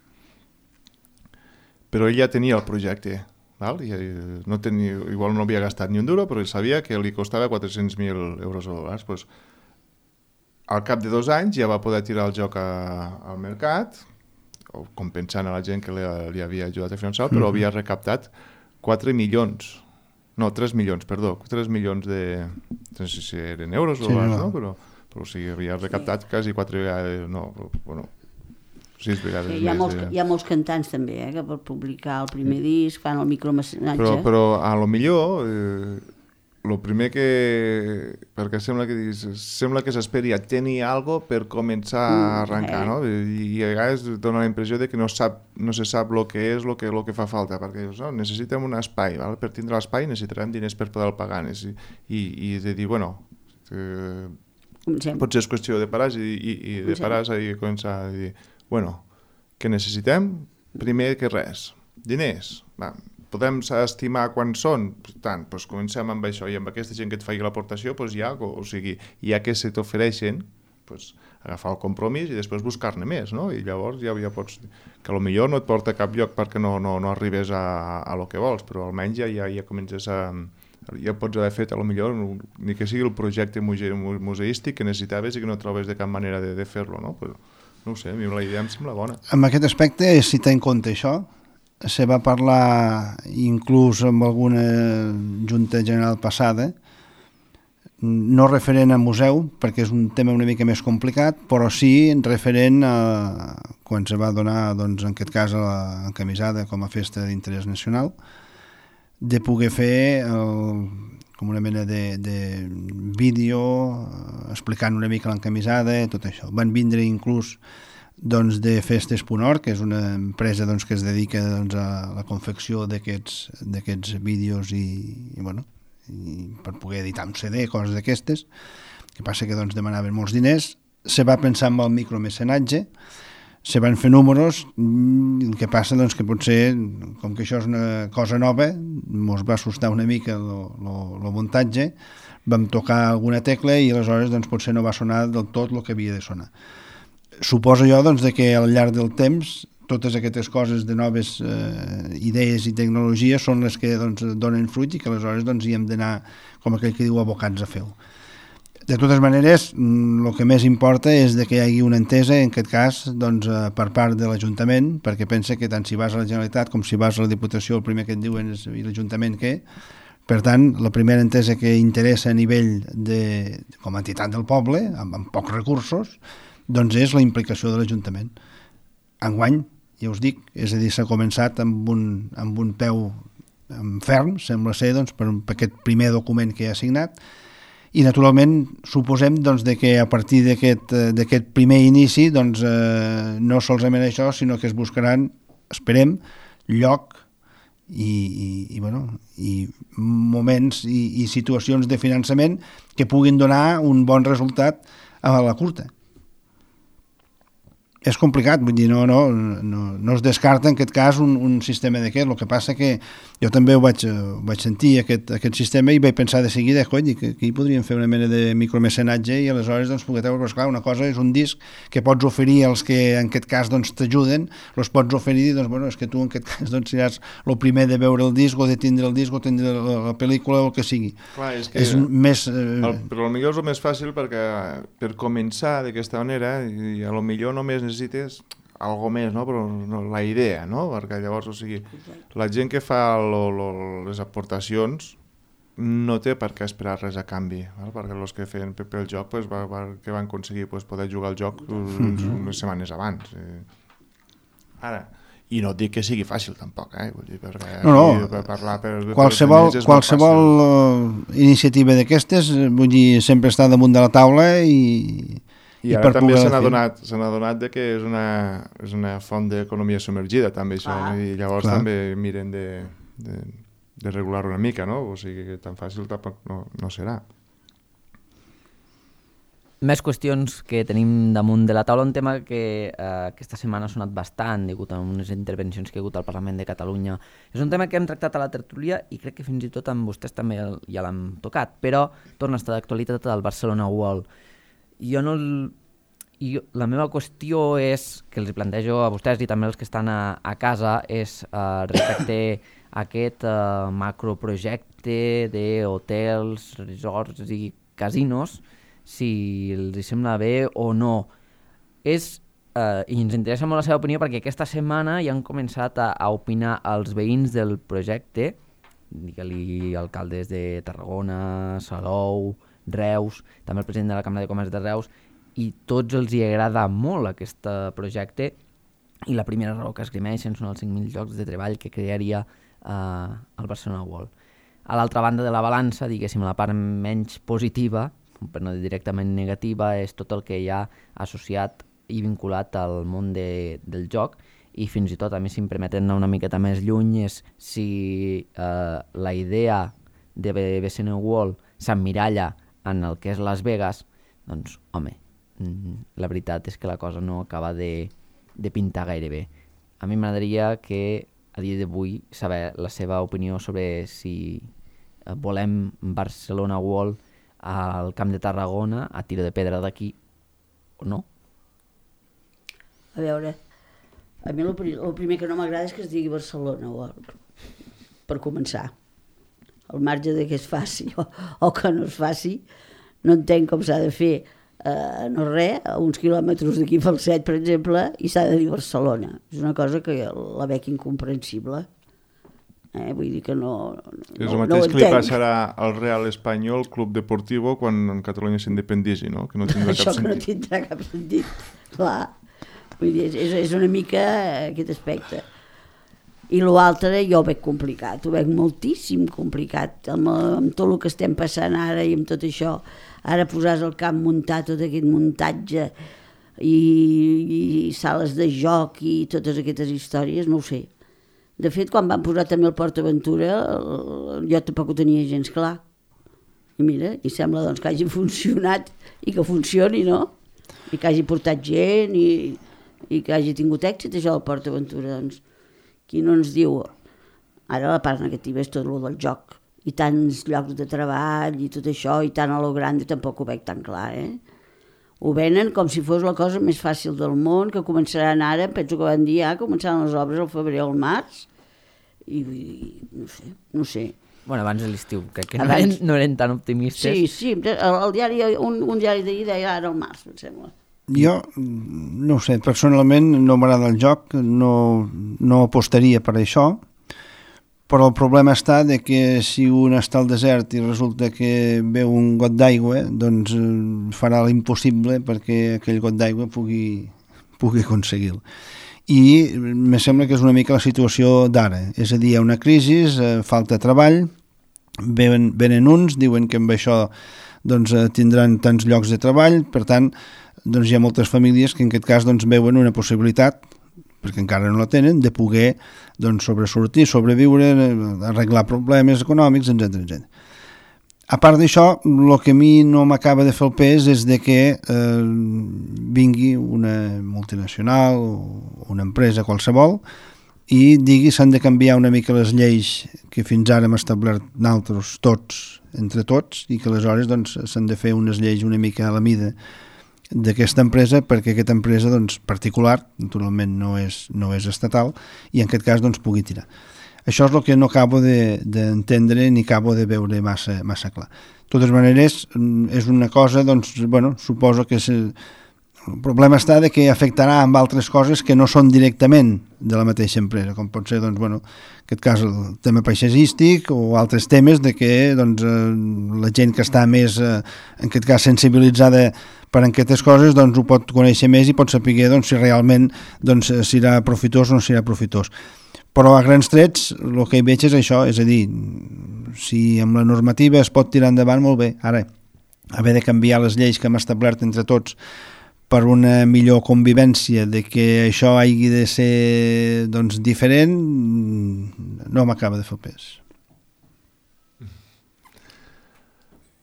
però ell ja tenia el projecte, val? Igual no havia gastat ni un duro, però ell sabia que li costava 400.000 euros o dòlars. Pues, al cap de 2 anys ja va poder tirar el joc al mercat, compensant a la gent que li havia ajudat a finançar, però havia recaptat 3 milions de... No sé si eren euros o dòlars, no? Però o sigui, havia recaptat quasi 4 vegades, 6 vegades més. Hi ha molts cantants també, que per publicar el primer disc fan el micromecenatge. Però a lo millor, el primer que... perquè sembla que s'esperi a tenir alguna cosa per començar a arrencar, no? I a vegades dona la impressió de que no se sap el que és, el que fa falta, perquè necessitem un espai, val? Per tindre l'espai necessitarem diners per poder pagar, i de dir, bueno... Potser és qüestió de parar i de parar i començar a dir, bueno, què necessitem? Primer que res, diners. Podem estimar quan són? Tant, doncs comencem amb això i amb aquesta gent que et faci l'aportació, doncs ja que se t'ofereixen, agafar el compromís i després buscar-ne més, no? I llavors ja pots... Que potser no et porta a cap lloc perquè no arribes a lo que vols, però almenys ja comences a... Ja pots haver fet, potser, ni que sigui el projecte museístic que necessitaves i que no trobes de cap manera de fer-lo, no? Però, no ho sé, a mi la idea em sembla bona. En aquest aspecte, si té en compte això, se va parlar inclús amb alguna junta general passada, no referent a museu, perquè és un tema una mica més complicat, però sí referent a quan se va donar, doncs, en aquest cas, a l'encamisada com a festa d'interès nacional, de poder fer com una mena de vídeo explicant una mica l'encamisada i tot això. Van vindre inclús de Festes.org, que és una empresa que es dedica a la confecció d'aquests vídeos i per poder editar un CD, coses d'aquestes, que passa que demanaven molts diners. Se va pensar en el micromecenatge, se van fer números, el que passa que potser, com que això és una cosa nova, ens va assustar una mica el muntatge, vam tocar alguna tecla i aleshores potser no va sonar del tot el que havia de sonar. Suposo jo que al llarg del temps totes aquestes coses de noves idees i tecnologies són les que donen fruit i que aleshores hi hem d'anar, com aquell que diu, abocats a fer-ho. De totes maneres, el que més importa és que hi hagi una entesa, en aquest cas, per part de l'Ajuntament, perquè pensa que tant si vas a la Generalitat com si vas a la Diputació, el primer que et diuen és l'Ajuntament què. Per tant, la primera entesa que interessa a nivell com a entitat del poble, amb pocs recursos, és la implicació de l'Ajuntament. Enguany, ja us dic, és a dir, s'ha començat amb un peu ferm, sembla ser, per aquest primer document que hi ha signat, I naturalment suposem doncs, de que a partir d'aquest primer inici doncs, no solament això, sinó que es buscaran, esperem, lloc i moments i situacions de finançament que puguin donar un bon resultat a la curta. És complicat, vull dir, no es descarta en aquest cas un sistema d'aquest. El que passa que jo també ho vaig sentir, aquest sistema, i vaig pensar de seguida, cony, que aquí podríem fer una mena de micromecenatge i aleshores doncs, poder treure, però esclar, una cosa és un disc que pots oferir als que en aquest cas doncs, t'ajuden, els pots oferir i doncs, bueno, és que tu en aquest cas doncs, seràs el primer de veure el disc o de tindre el disc o tindre la pel·lícula o el que sigui. Clar, és que és més... Però potser és el més fàcil perquè per començar d'aquesta manera i a lo millor només necessites algo més, no? Però no, la idea, no? Perquè llavors, o sigui, la gent que fa les aportacions no té per què esperar res a canvi, val? Perquè els que feien pel joc pues, que van aconseguir pues, poder jugar al joc unes setmanes abans. Ara, i no et dic que sigui fàcil tampoc, vull dir, perquè per parlar qualsevol iniciativa d'aquestes, vull dir, sempre està damunt de la taula i ara també s'han adonat de que és una font d'economia submergida també això, i llavors també miren de regular una mica, no? O sigui que tan fàcil tampoc no serà. Més qüestions que tenim damunt de la taula, un tema que aquesta setmana ha sonat bastant degut a unes intervencions que hi ha hagut al Parlament de Catalunya. És un tema que hem tractat a la tertúlia i crec que fins i tot amb vostès també ja l'hem tocat, però torna a estar d'actualitat al Barcelona World. La meva qüestió és, que els plantejo a vostès i també els que estan a casa, és respecte a aquest macroprojecte d'hotels, resorts i casinos, si els sembla bé o no. I ens interessa molt la seva opinió perquè aquesta setmana ja han començat a opinar els veïns del projecte, digue-li alcaldes de Tarragona, Salou, Reus, també el president de la Cambra de Comerç de Reus, i tots els hi agrada molt aquest projecte i la primera raó que esgrimeixen són els 5.000 llocs de treball que crearia el Barcelona World. A l'altra banda de la balança, diguéssim, la part menys positiva, per no dir directament negativa, és tot el que hi ha associat i vinculat al món del joc, i fins i tot, a mi, si em permeten anar una miqueta més lluny, és si la idea de BCN World s'emmiralla en el que és Las Vegas, doncs, home, la veritat és que la cosa no acaba de pintar gaire bé. A mi m'agradaria que a dia d'avui saber la seva opinió sobre si volem Barcelona World al Camp de Tarragona, a tiro de pedra d'aquí, o no? A veure, a mi el primer que no m'agrada és que es digui Barcelona World, per començar. Al marge de que es faci o que no es faci, no entenc com s'ha de fer no res, a uns quilòmetres d'aquí pel Set, per exemple, i s'ha de dir Barcelona. És una cosa que la veig incomprensible. Vull dir que no és el mateix que li passarà al Real Espanyol Club Deportivo quan Catalunya s'independisi, no? Que no tindrà cap sentit. Això que no tindrà cap sentit, clar. Vull dir, és una mica aquest aspecte. I l'altre jo ho veig complicat, ho veig moltíssim complicat, amb tot el que estem passant ara i amb tot això. Ara posar al camp muntar tot aquest muntatge i sales de joc i totes aquestes històries, no ho sé. De fet, quan van posar també el Port Aventura, jo tampoc ho tenia gens clar. I mira, i sembla doncs, que hagi funcionat i que funcioni, no? I que hagi portat gent i que hagi tingut èxit, això del Port Aventura, doncs. Qui no ens diu, ara la part negativa és tot el del joc, i tants llocs de treball i tot això, i tant a lo grande tampoc ho veig tan clar, Ho venen com si fos la cosa més fàcil del món, que començaran ara, penso que van dir, començaran les obres al febrer o al març, i no sé. Bueno, abans de l'estiu, que no eren tan optimistes. Sí, el diari, un diari d'ahir deia ara al març, em sembla. Jo, no ho sé, personalment no m'agrada el joc, no apostaria per això, però el problema està de que si un està al desert i resulta que veu un got d'aigua, doncs farà l'impossible perquè aquell got d'aigua pugui aconseguir-lo. I me sembla que és una mica la situació d'ara, és a dir, hi ha una crisi, falta treball, venen uns, diuen que amb això doncs, tindran tants llocs de treball, per tant, doncs, hi ha moltes famílies que en aquest cas doncs, veuen una possibilitat, perquè encara no la tenen, de poder doncs, sobresortir, sobreviure, arreglar problemes econòmics, etc. A part d'això, el que a mi no m'acaba de fer el pes és de que vingui una multinacional o una empresa qualsevol i digui s'han de canviar una mica les lleis que fins ara hem establert nosaltres tots, entre tots, i que aleshores doncs, s'han de fer unes lleis una mica a la mida d'aquesta empresa perquè aquesta empresa doncs, particular, naturalment no és estatal, i en aquest cas doncs, pugui tirar. Això és el que no acabo d'entendre ni acabo de veure massa clar. De totes maneres, és una cosa, doncs, bueno, suposo que el problema està de que afectarà amb altres coses que no són directament de la mateixa empresa, com pot ser, doncs, bueno, en aquest cas el tema paisatgístic o altres temes de que doncs, la gent que està més, en aquest cas, sensibilitzada per aquestes coses, doncs ho pot conèixer més i pot saber doncs, si realment doncs, serà profitós o no serà profitós. Però a grans trets el que hi veig és això, és a dir, si amb la normativa es pot tirar endavant, molt bé. Ara, haver de canviar les lleis que hem establert entre tots per una millor convivència, de que això hagi de ser doncs, diferent, no m'acaba de fer pes.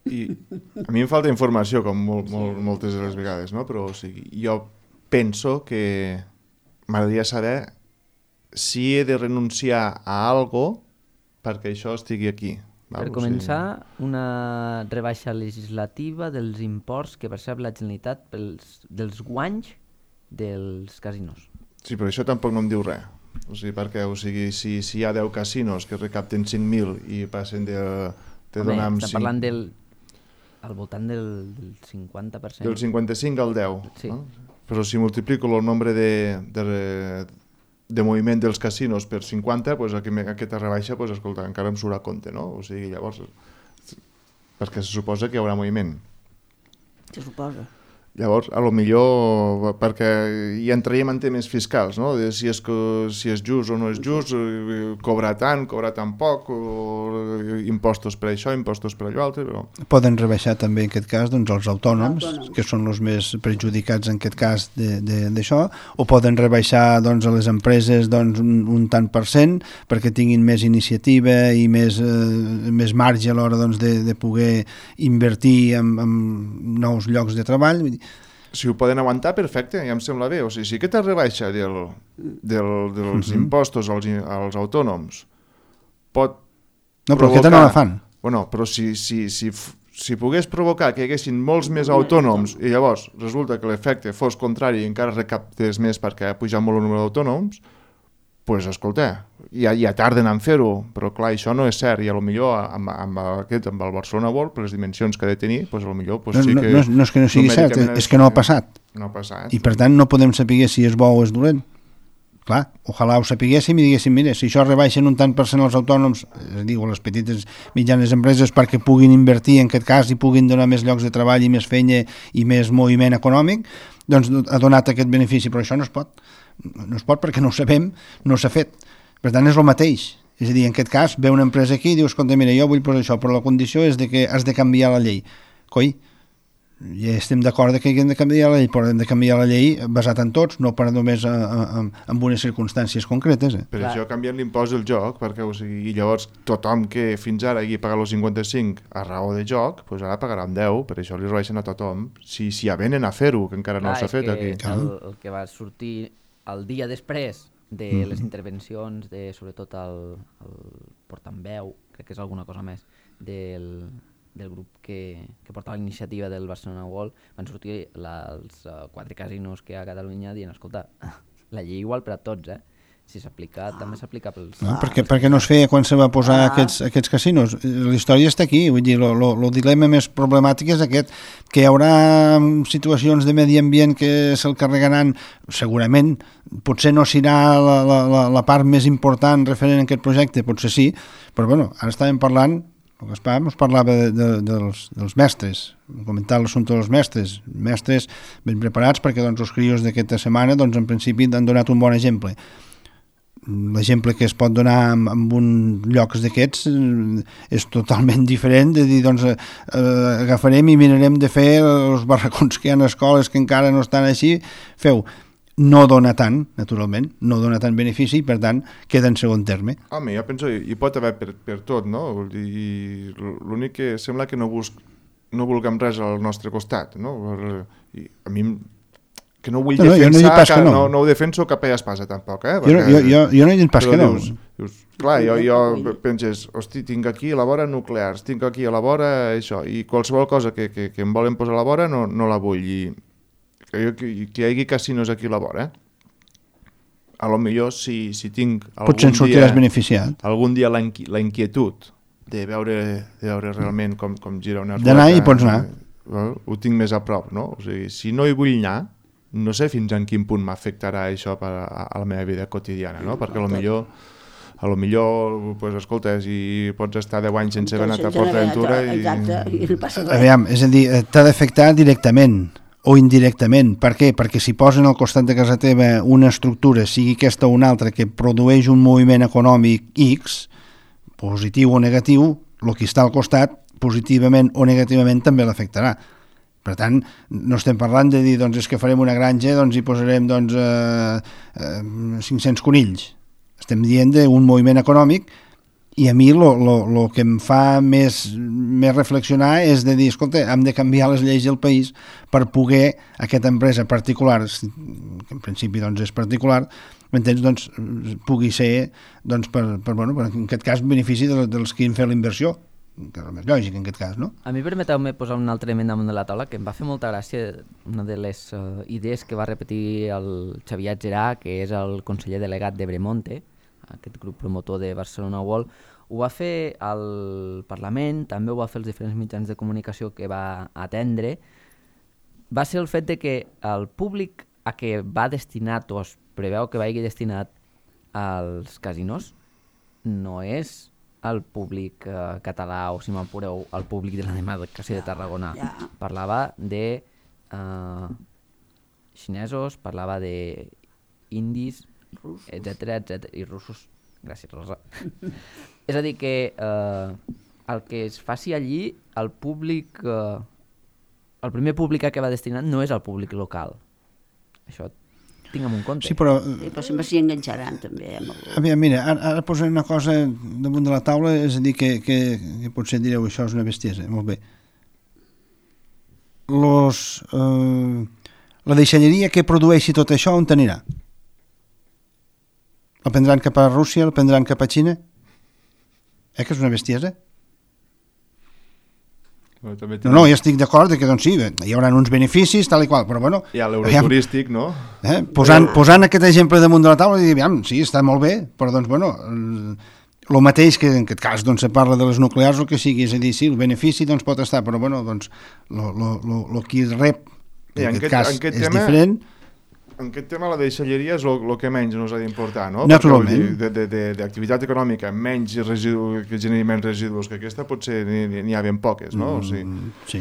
I a mi em falta informació, com moltes de les vegades, no? Però o sigui, jo penso que m'agradaria saber si he de renunciar a algo perquè això estigui aquí. Per començar, una rebaixa legislativa dels imports que percep la Generalitat dels guanys dels casinos. Sí, però això tampoc no em diu res. O sigui, perquè si hi ha 10 casinos que recapten 5.000 i passen de donar amb 5... Estem parlant al voltant del 50%. Del 55 al 10. Sí. No? Però si multiplico el nombre de moviment dels casinos per 50, doncs aquesta rebaixa, doncs, escolta, encara em surt a compte, no? O sigui, llavors, perquè se suposa que hi haurà moviment. Se suposa. Llavors, a lo millor, perquè hi entraríem en temes fiscals, no? De si és just o no és just, cobrar tan poc, o impostos per això, impostos per allò altre, però... Poden rebaixar també en aquest cas doncs, els autònoms, que són els més perjudicats en aquest cas d'això, o poden rebaixar doncs, a les empreses doncs, un tant per cent perquè tinguin més iniciativa i més marge a l'hora doncs, de poder invertir en nous llocs de treball. Si ho poden aguantar, perfecte, ja em sembla bé. O sigui, si aquesta rebaixa dels impostos als autònoms pot no, però aquesta no la fan. Bueno, però si pogués provocar que hi haguessin molts més autònoms i llavors resulta que l'efecte fos contrari i encara recaptes més perquè ha pujat molt el número d'autònoms, doncs, escolta, ja tarden en fer-ho, però clar, això no és cert, i potser amb el Barcelona World, per les dimensions que ha de tenir, doncs potser sí que... No és que no sigui cert, és que no ha passat. No ha passat. I per tant no podem saber si és bo o és dolent. Clar, ojalà ho sapiguéssim i diguéssim, mira, si això rebaixen un tant per cent els autònoms, és a dir, les petites mitjanes empreses perquè puguin invertir en aquest cas i puguin donar més llocs de treball i més feina i més moviment econòmic, doncs ha donat aquest benefici, però això no es pot. No es pot perquè no ho sabem, no s'ha fet. Per tant, és el mateix. És a dir, en aquest cas, ve una empresa aquí i dius, escolta, mira, jo vull posar això, però la condició és de que has de canviar la llei. Coi, ja estem d'acord que hem de canviar la llei, però hem de canviar la llei basat en tots, no per només en unes circumstàncies concretes. Per això canvien l'impost del joc, perquè o sigui, llavors tothom que fins ara hagi pagat els 55 a raó de joc, doncs ara pagarà amb 10, per això li rebaixen a tothom. Si avenen a fer-ho, que encara no s'ha fet aquí. El que va sortir el dia després de les intervencions de, sobretot, el portaveu, crec que és alguna cosa més, del grup que portava la iniciativa del Barcelona World, van sortir els 4 casinos que hi ha a Catalunya dient, escolta, la llei igual per a tots, si s'aplica, també s'aplica pels... No, perquè no es feia quan se va posar aquests casinos. La història està aquí, vull dir, el dilema més problemàtic és aquest, que hi haurà situacions de medi ambient que se'l carregaran, segurament, potser no serà la part més important referent a aquest projecte, potser sí, però bueno, ara estàvem parlant, el Gaspar ens parlava dels mestres, comentar l'assumpte dels mestres ben preparats perquè doncs, els crios d'aquesta setmana doncs, en principi han donat un bon exemple. l'exemple que es pot donar en un llocs d'aquests és totalment diferent de dir, doncs, agafarem i mirarem de fer els barracons que hi ha a escoles que encara no estan així, feu. No dona tant, naturalment, no dona tant benefici, per tant, queda en segon terme. Home, jo penso, hi pot haver per tot, no? Vull dir, l'únic que sembla que no vulguem res al nostre costat, no? I a mi que no vull defensar, que no ho defenso cap a espasa tampoc, Perquè, jo no he dit pas que no. Dius, clar, jo penses, hosti, tinc aquí a la vora nuclears, tinc aquí a la vora això, i qualsevol cosa que em volen posar a la vora no la vull, i que hi hagi casinos aquí a la vora, a lo millor si tinc potser en sortiràs beneficiat. Algun dia la inquietud de veure realment com gira una rota. D'anar i pots anar. Ho tinc més a prop, no? O sigui, si no hi vull anar, no sé fins en quin punt m'afectarà això a la meva vida quotidiana, no? Perquè a lo millor, pues, escolta, si pots estar 10 anys sense haver anat a PortAventura i no passa res. Aviam, és a dir, t'ha d'afectar directament o indirectament. Per què? Perquè si posen al costat de casa teva una estructura, sigui aquesta o una altra, que produeix un moviment econòmic X, positiu o negatiu, el que està al costat, positivament o negativament, també l'afectarà. Per tant, no estem parlant de dir, doncs, és que farem una granja, doncs hi posarem, doncs, 500 conills. Estem dient d'un moviment econòmic, i a mi el que em fa més reflexionar és de dir, escolta, hem de canviar les lleis del país per poder aquesta empresa particular, que en principi doncs, és particular, m'entens, doncs, pugui ser, doncs, per en aquest cas, benefici dels que han fet la inversió, que és el més lògic en aquest cas, no? A mi permeteu-me posar un altre element damunt de la taula que em va fer molta gràcia, una de les idees que va repetir el Xavier Gerà, que és el conseller delegat d'Ebremonte, aquest grup promotor de Barcelona World, ho va fer al Parlament, també ho va fer els diferents mitjans de comunicació que va atendre, va ser el fet de que el públic a què va destinat o es preveu que vagi destinat als casinos no és el públic català o, si m'apureu, el públic de la demarcació de Tarragona. Parlava de xinesos, parlava de indis, etcètera, i russos. Gràcies, Rosa. És a dir, que el que es faci allí, el públic, el primer públic a què va destinat no és el públic local. Això tinguem en compte. Sí, però sempre s'hi enganxaran també. Mira, ara posaré una cosa damunt de la taula, és a dir, que potser direu això és una bestiesa, molt bé. La deixalleria que produeixi tot això, on t'anirà? El prendran cap a Rússia, el prendran cap a Xina? Que és una bestiesa? No, ja estic d'acord que doncs sí, hi haurà uns beneficis, tal i qual, però bueno... Hi ha l'euroturístic, no? Posant aquest exemple damunt de la taula i dir, sí, està molt bé, però doncs bueno, el mateix que en aquest cas doncs se parla de les nuclears o que sigui, és a dir, sí, el benefici doncs pot estar, però bueno, doncs el qui rep en aquest cas és diferent. En aquest tema la deixalleria és el que menys ens ha d'importar, no? Naturalment. D'activitat econòmica menys que generi menys residus que aquesta potser n'hi ha ben poques, no? O sigui, sí.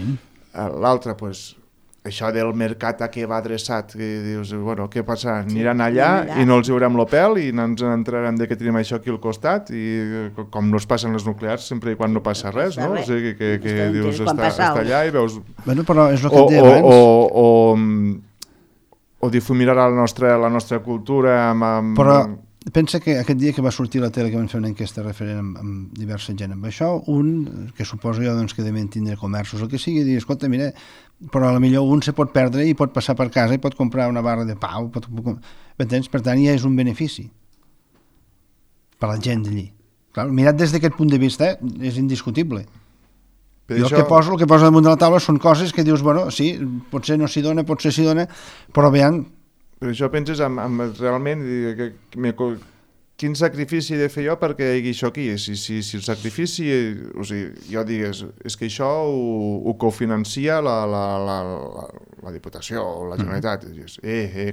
L'altra, doncs, això del mercat a què va adreçat, que dius, bueno, què passarà? Aniran allà i no els veurem l'opel i no ens entrarem de que tenim això aquí al costat i com no es passen les nuclears sempre i quan no passa res, no? O sigui, que dius, està allà i veus... Bueno, però és el que et deia abans. O difuminar la nostra cultura amb... Però pensa que aquest dia que va sortir a la tele que van fer una enquesta referent amb diversa gent amb això, un, que suposo jo doncs, que devien tindre comerços o que sigui, dir, escolta, mira, però potser un se pot perdre i pot passar per casa i pot comprar una barra de pa, m'entens? Per tant, ja és un benefici per a la gent d'allí. Clar, mirat des d'aquest punt de vista, és indiscutible. Jo el que poso damunt de la taula són coses que dius, bueno, sí, potser no s'hi dona, potser s'hi dona, però veient... Però això penses realment quin sacrifici he de fer jo perquè hi hagi això aquí? Si el sacrifici, o sigui, jo digués, és que això ho cofinancia la Diputació o la Generalitat, i dius,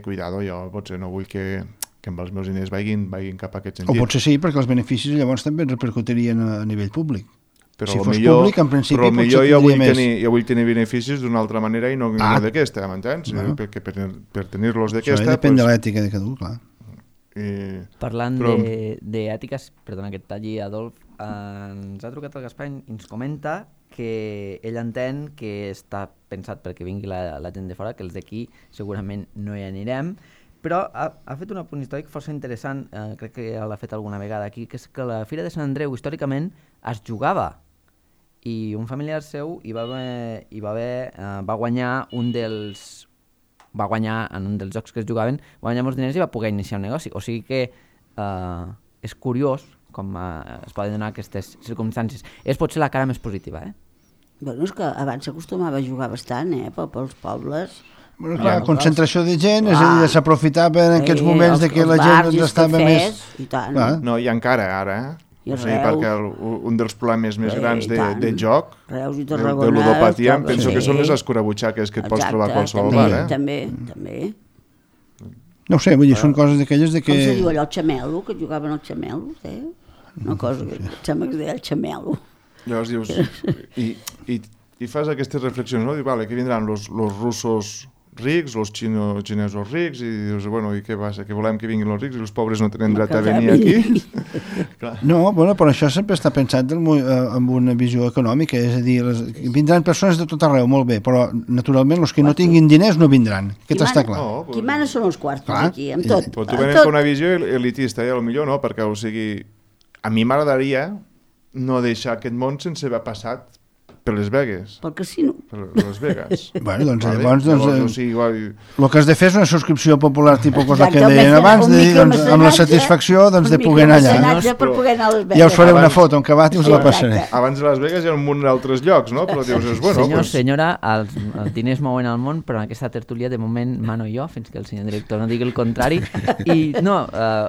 cuidado, jo potser no vull que amb els meus diners vagin cap a aquest sentit. O potser sí, perquè els beneficis llavors també repercutirien a nivell públic. Però si fos públic, en principi, potser tindria més. Jo vull tenir beneficis d'una altra manera i no d'aquesta, m'entens? Bueno. Per tenir-los d'aquesta... Això depèn de l'ètica de cada un, clar. Parlant Però- d'ètiques, perdona que et talli, Adolf, ens ha trucat el Gaspar i ens comenta que ell entén que està pensat perquè vingui la gent de fora, que els d'aquí segurament no hi anirem, però ha fet un apunt històric força interessant, crec que l'ha fet alguna vegada aquí, que és que la Fira de Sant Andreu històricament es jugava, i un familiar seu va guanyar va guanyar en un dels jocs que es jugaven, va guanyar molts diners i va poder iniciar un negoci. O sigui que és curiós com es poden donar aquestes circumstàncies. És potser la cara més positiva, eh? Bueno, és que abans s'acostumava a jugar bastant, pels pobles. Bueno, clar, concentració de gent, és a dir, s'aprofitava en aquests moments de que els la bars gent i els estava cafès, més... I tant. Clar. No, i encara ara, I o sigui, Reus. perquè un dels problemes més grans i tant. de joc, Reus i de Tarragona, ludopatia, els penso que jocs, són les sí. escurabutxaques que et pots Exacte, trobar a qualsevol també, bar, també. No ho sé, vull dir, són coses d'aquelles de que... Com se diu allò, el xamelo, que jugaven al xamelo, Una cosa que em sembla que es deia el xamelo. Llavors dius, i fas aquestes reflexions, no? Dius, vale, que vindran los russos rics, los xinesos rics, i dius, bueno, i què passa? Que volem que vinguin els rics i els pobres no tenen dret a venir aquí? No, bueno, però això sempre està pensat amb una visió econòmica, és a dir, vindran persones de tot arreu, molt bé, però naturalment els que no tinguin diners no vindran, aquest està clar. No, Qui mana són els quartos Clar. aquí, amb tot. Però tu venen amb una visió elitista, potser no, perquè, o sigui, a mi m'agradaria no deixar aquest món sense haver passat per les Vegas. Pel casino. Per les Vegas. Bueno, doncs Vale? llavors, O sigui, igual... el que has de fer és una subscripció popular tipus cosa que Exacte, deien abans, un de dir, doncs, amb la micromecenatge, satisfacció doncs, de poder anar allà. micromecenatge per poder anar a les Vegas. Ja us faré una Abans- foto en acabat i us la passaré. Abans de Las Vegas hi ha un munt d'altres llocs, no? Però dius, bueno, Senyor, pues, senyora, els diners mouen el món, però en aquesta tertúlia de moment mano jo, fins que el senyor director no digui el contrari. I no,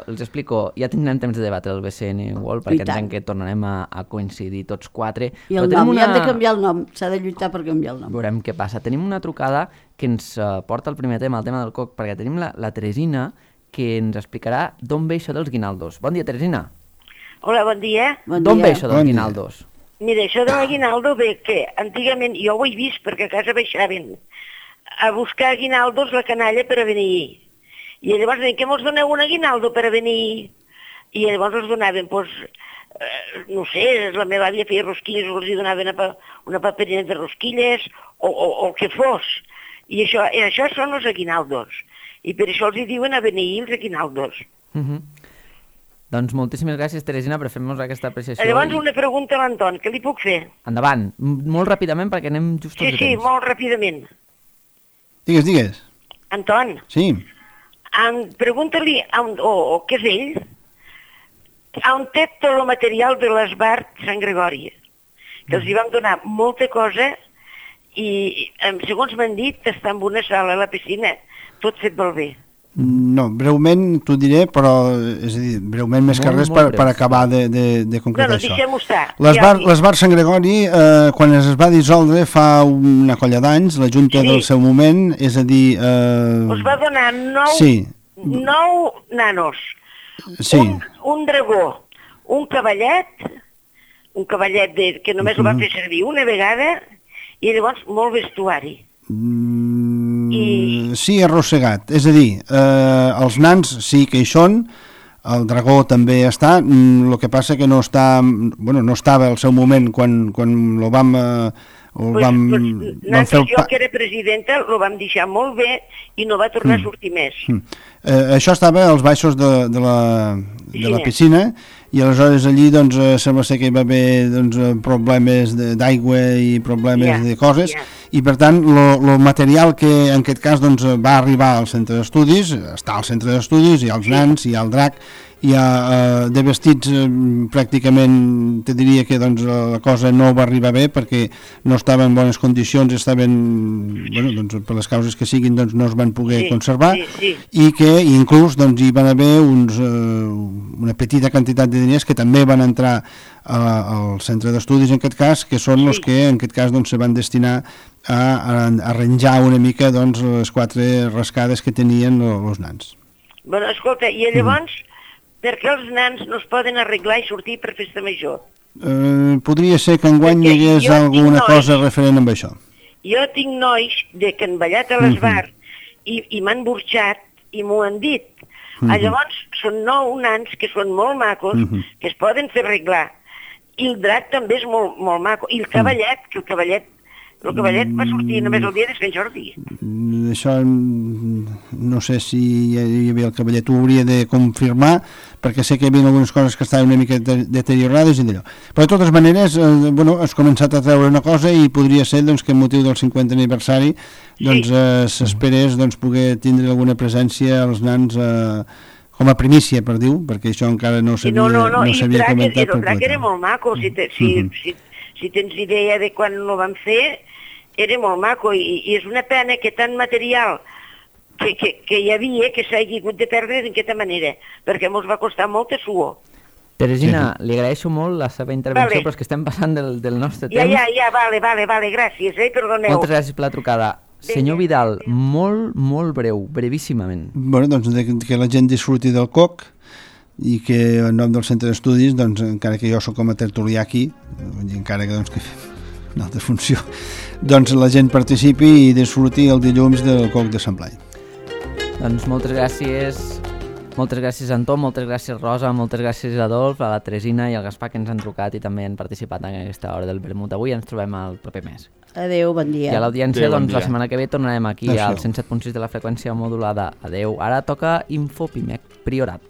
els explico, ja tindrem temps de debatre el BCN World, I perquè tant. entenc que tornarem a coincidir tots quatre. I Però el tenim nom, ja hem de canviar el nom, s'ha de lluitar per canviar el nom. Veurem què passa. Tenim una trucada que ens porta al primer tema, el tema del coc, perquè tenim la Teresina, que ens explicarà d'on ve això dels guinaldos. Bon dia, Teresina. Hola, bon dia. Bon D'on dia. ve això dels Bon dia. guinaldos? Mira, això de l'aguinaldo ve que antigament jo ho he vist perquè a casa baixaven a buscar aguinaldos la canalla per a venir. I llavors deien que mos doneu un aguinaldo per a venir. I llavors els donaven, doncs, no sé, la meva àvia feia rosquilles, els hi donaven una paperina de rosquilles o el que fos. I això són els aguinaldos. I per això els hi diuen a venir els aguinaldos. Doncs moltíssimes gràcies, Teresina, per fer-nos aquesta apreciació. Llavors una pregunta a l'Anton, què li puc fer? Endavant, molt ràpidament perquè anem just Sí, de sí, temps. molt ràpidament. Digues. Anton, Sí. pregunta-li, o què és ell, on té tot el material de l'Esbart Sant Gregori, que els hi vam donar molta cosa i, segons m'han dit, està en una sala a la piscina, tot fet molt bé. No, breument t'ho diré, però és a dir, breument més que Molt, res molt per breus. acabar de concretar No, això. deixem-ho estar. L'Esbar Sant Gregori, quan es va dissoldre fa una colla d'anys, la Junta Sí. del seu moment, és a dir... Us va donar 9 Sí. nanos, Sí, un dragó, un cavallet que només el van fer servir una vegada, i llavors molt vestuari. sí, arrossegat. És a dir, els nans sí que hi són, el dragó també està, el que passa que no està, bueno, no estava al seu moment quan lo vam... vam fer el Jo, que era presidenta, el vam deixar molt bé i no va tornar a sortir més. Això estava als baixos de la piscina i aleshores allí doncs, sembla ser que hi va haver doncs, problemes d'aigua i problemes de coses i per tant el material que en aquest cas doncs, va arribar al centre d'estudis, està al centre d'estudis, hi ha els nans, hi ha el drac, hi ha de vestits pràcticament te diria que doncs, la cosa no va arribar bé perquè no estaven en bones condicions, estaven, bueno, doncs, per les causes que siguin doncs, no es van poder conservar i que inclús doncs, hi van haver una petita quantitat de diners que també van entrar al centre d'estudis en aquest cas, que són els que en aquest cas doncs, se van destinar a arranjar una mica doncs, les 4 rascades que tenien els nans. Bueno, escolta, i llavors per què els nans no es poden arreglar i sortir per festa major? Podria ser que enguany hi hagués alguna cosa referent amb això. Jo tinc nois que han ballat a l'Esbar i m'han burxat i m'ho han dit. Llavors, són 9 nans que són molt macos, que es poden fer arreglar. I el drac també és molt, molt maco. I el cavallet, que el cavallet va sortir només el dia de Sant Jordi. Això no sé si hi havia el cavallet, ho hauria de confirmar, perquè sé que hi havia algunes coses que estaven una mica deteriorades i d'allò. Però de totes maneres, has començat a treure una cosa i podria ser doncs, que amb motiu del 50 aniversari s'esperés poder tindre alguna presència als nans com a primícia, per dir-ho, perquè això encara no s'havia comentat. El drac era molt maco, si tens idea de quan ho vam fer, era molt maco i és una pena que tant material que hi havia que s'hagi hagut de perdre d'aquesta manera, perquè ens va costar molta suor. Teresina, li agraeixo molt la seva intervenció, però és que estem passant del nostre temps. Ja, vale, gràcies, perdoneu. Moltes gràcies per la trucada. Senyor Vidal, molt breu, brevíssimament. Doncs que la gent disfruti del coc i que en nom del centre d'estudis, encara que jo sóc com a tertulià aquí, encara que fem una altra funció, la gent participi i disfruti el dilluns del coc de Sant Blai. Doncs moltes gràcies Anton, moltes gràcies Rosa, moltes gràcies Adolf, a la Teresina i al Gaspar que ens han trucat i també han participat en aquesta hora del vermut. Avui ens trobem el proper mes. Adéu, bon dia. I a l'audiència, la setmana que ve tornarem aquí al 107.6 de la freqüència modulada. Adéu. Ara toca Infopimec Priorat.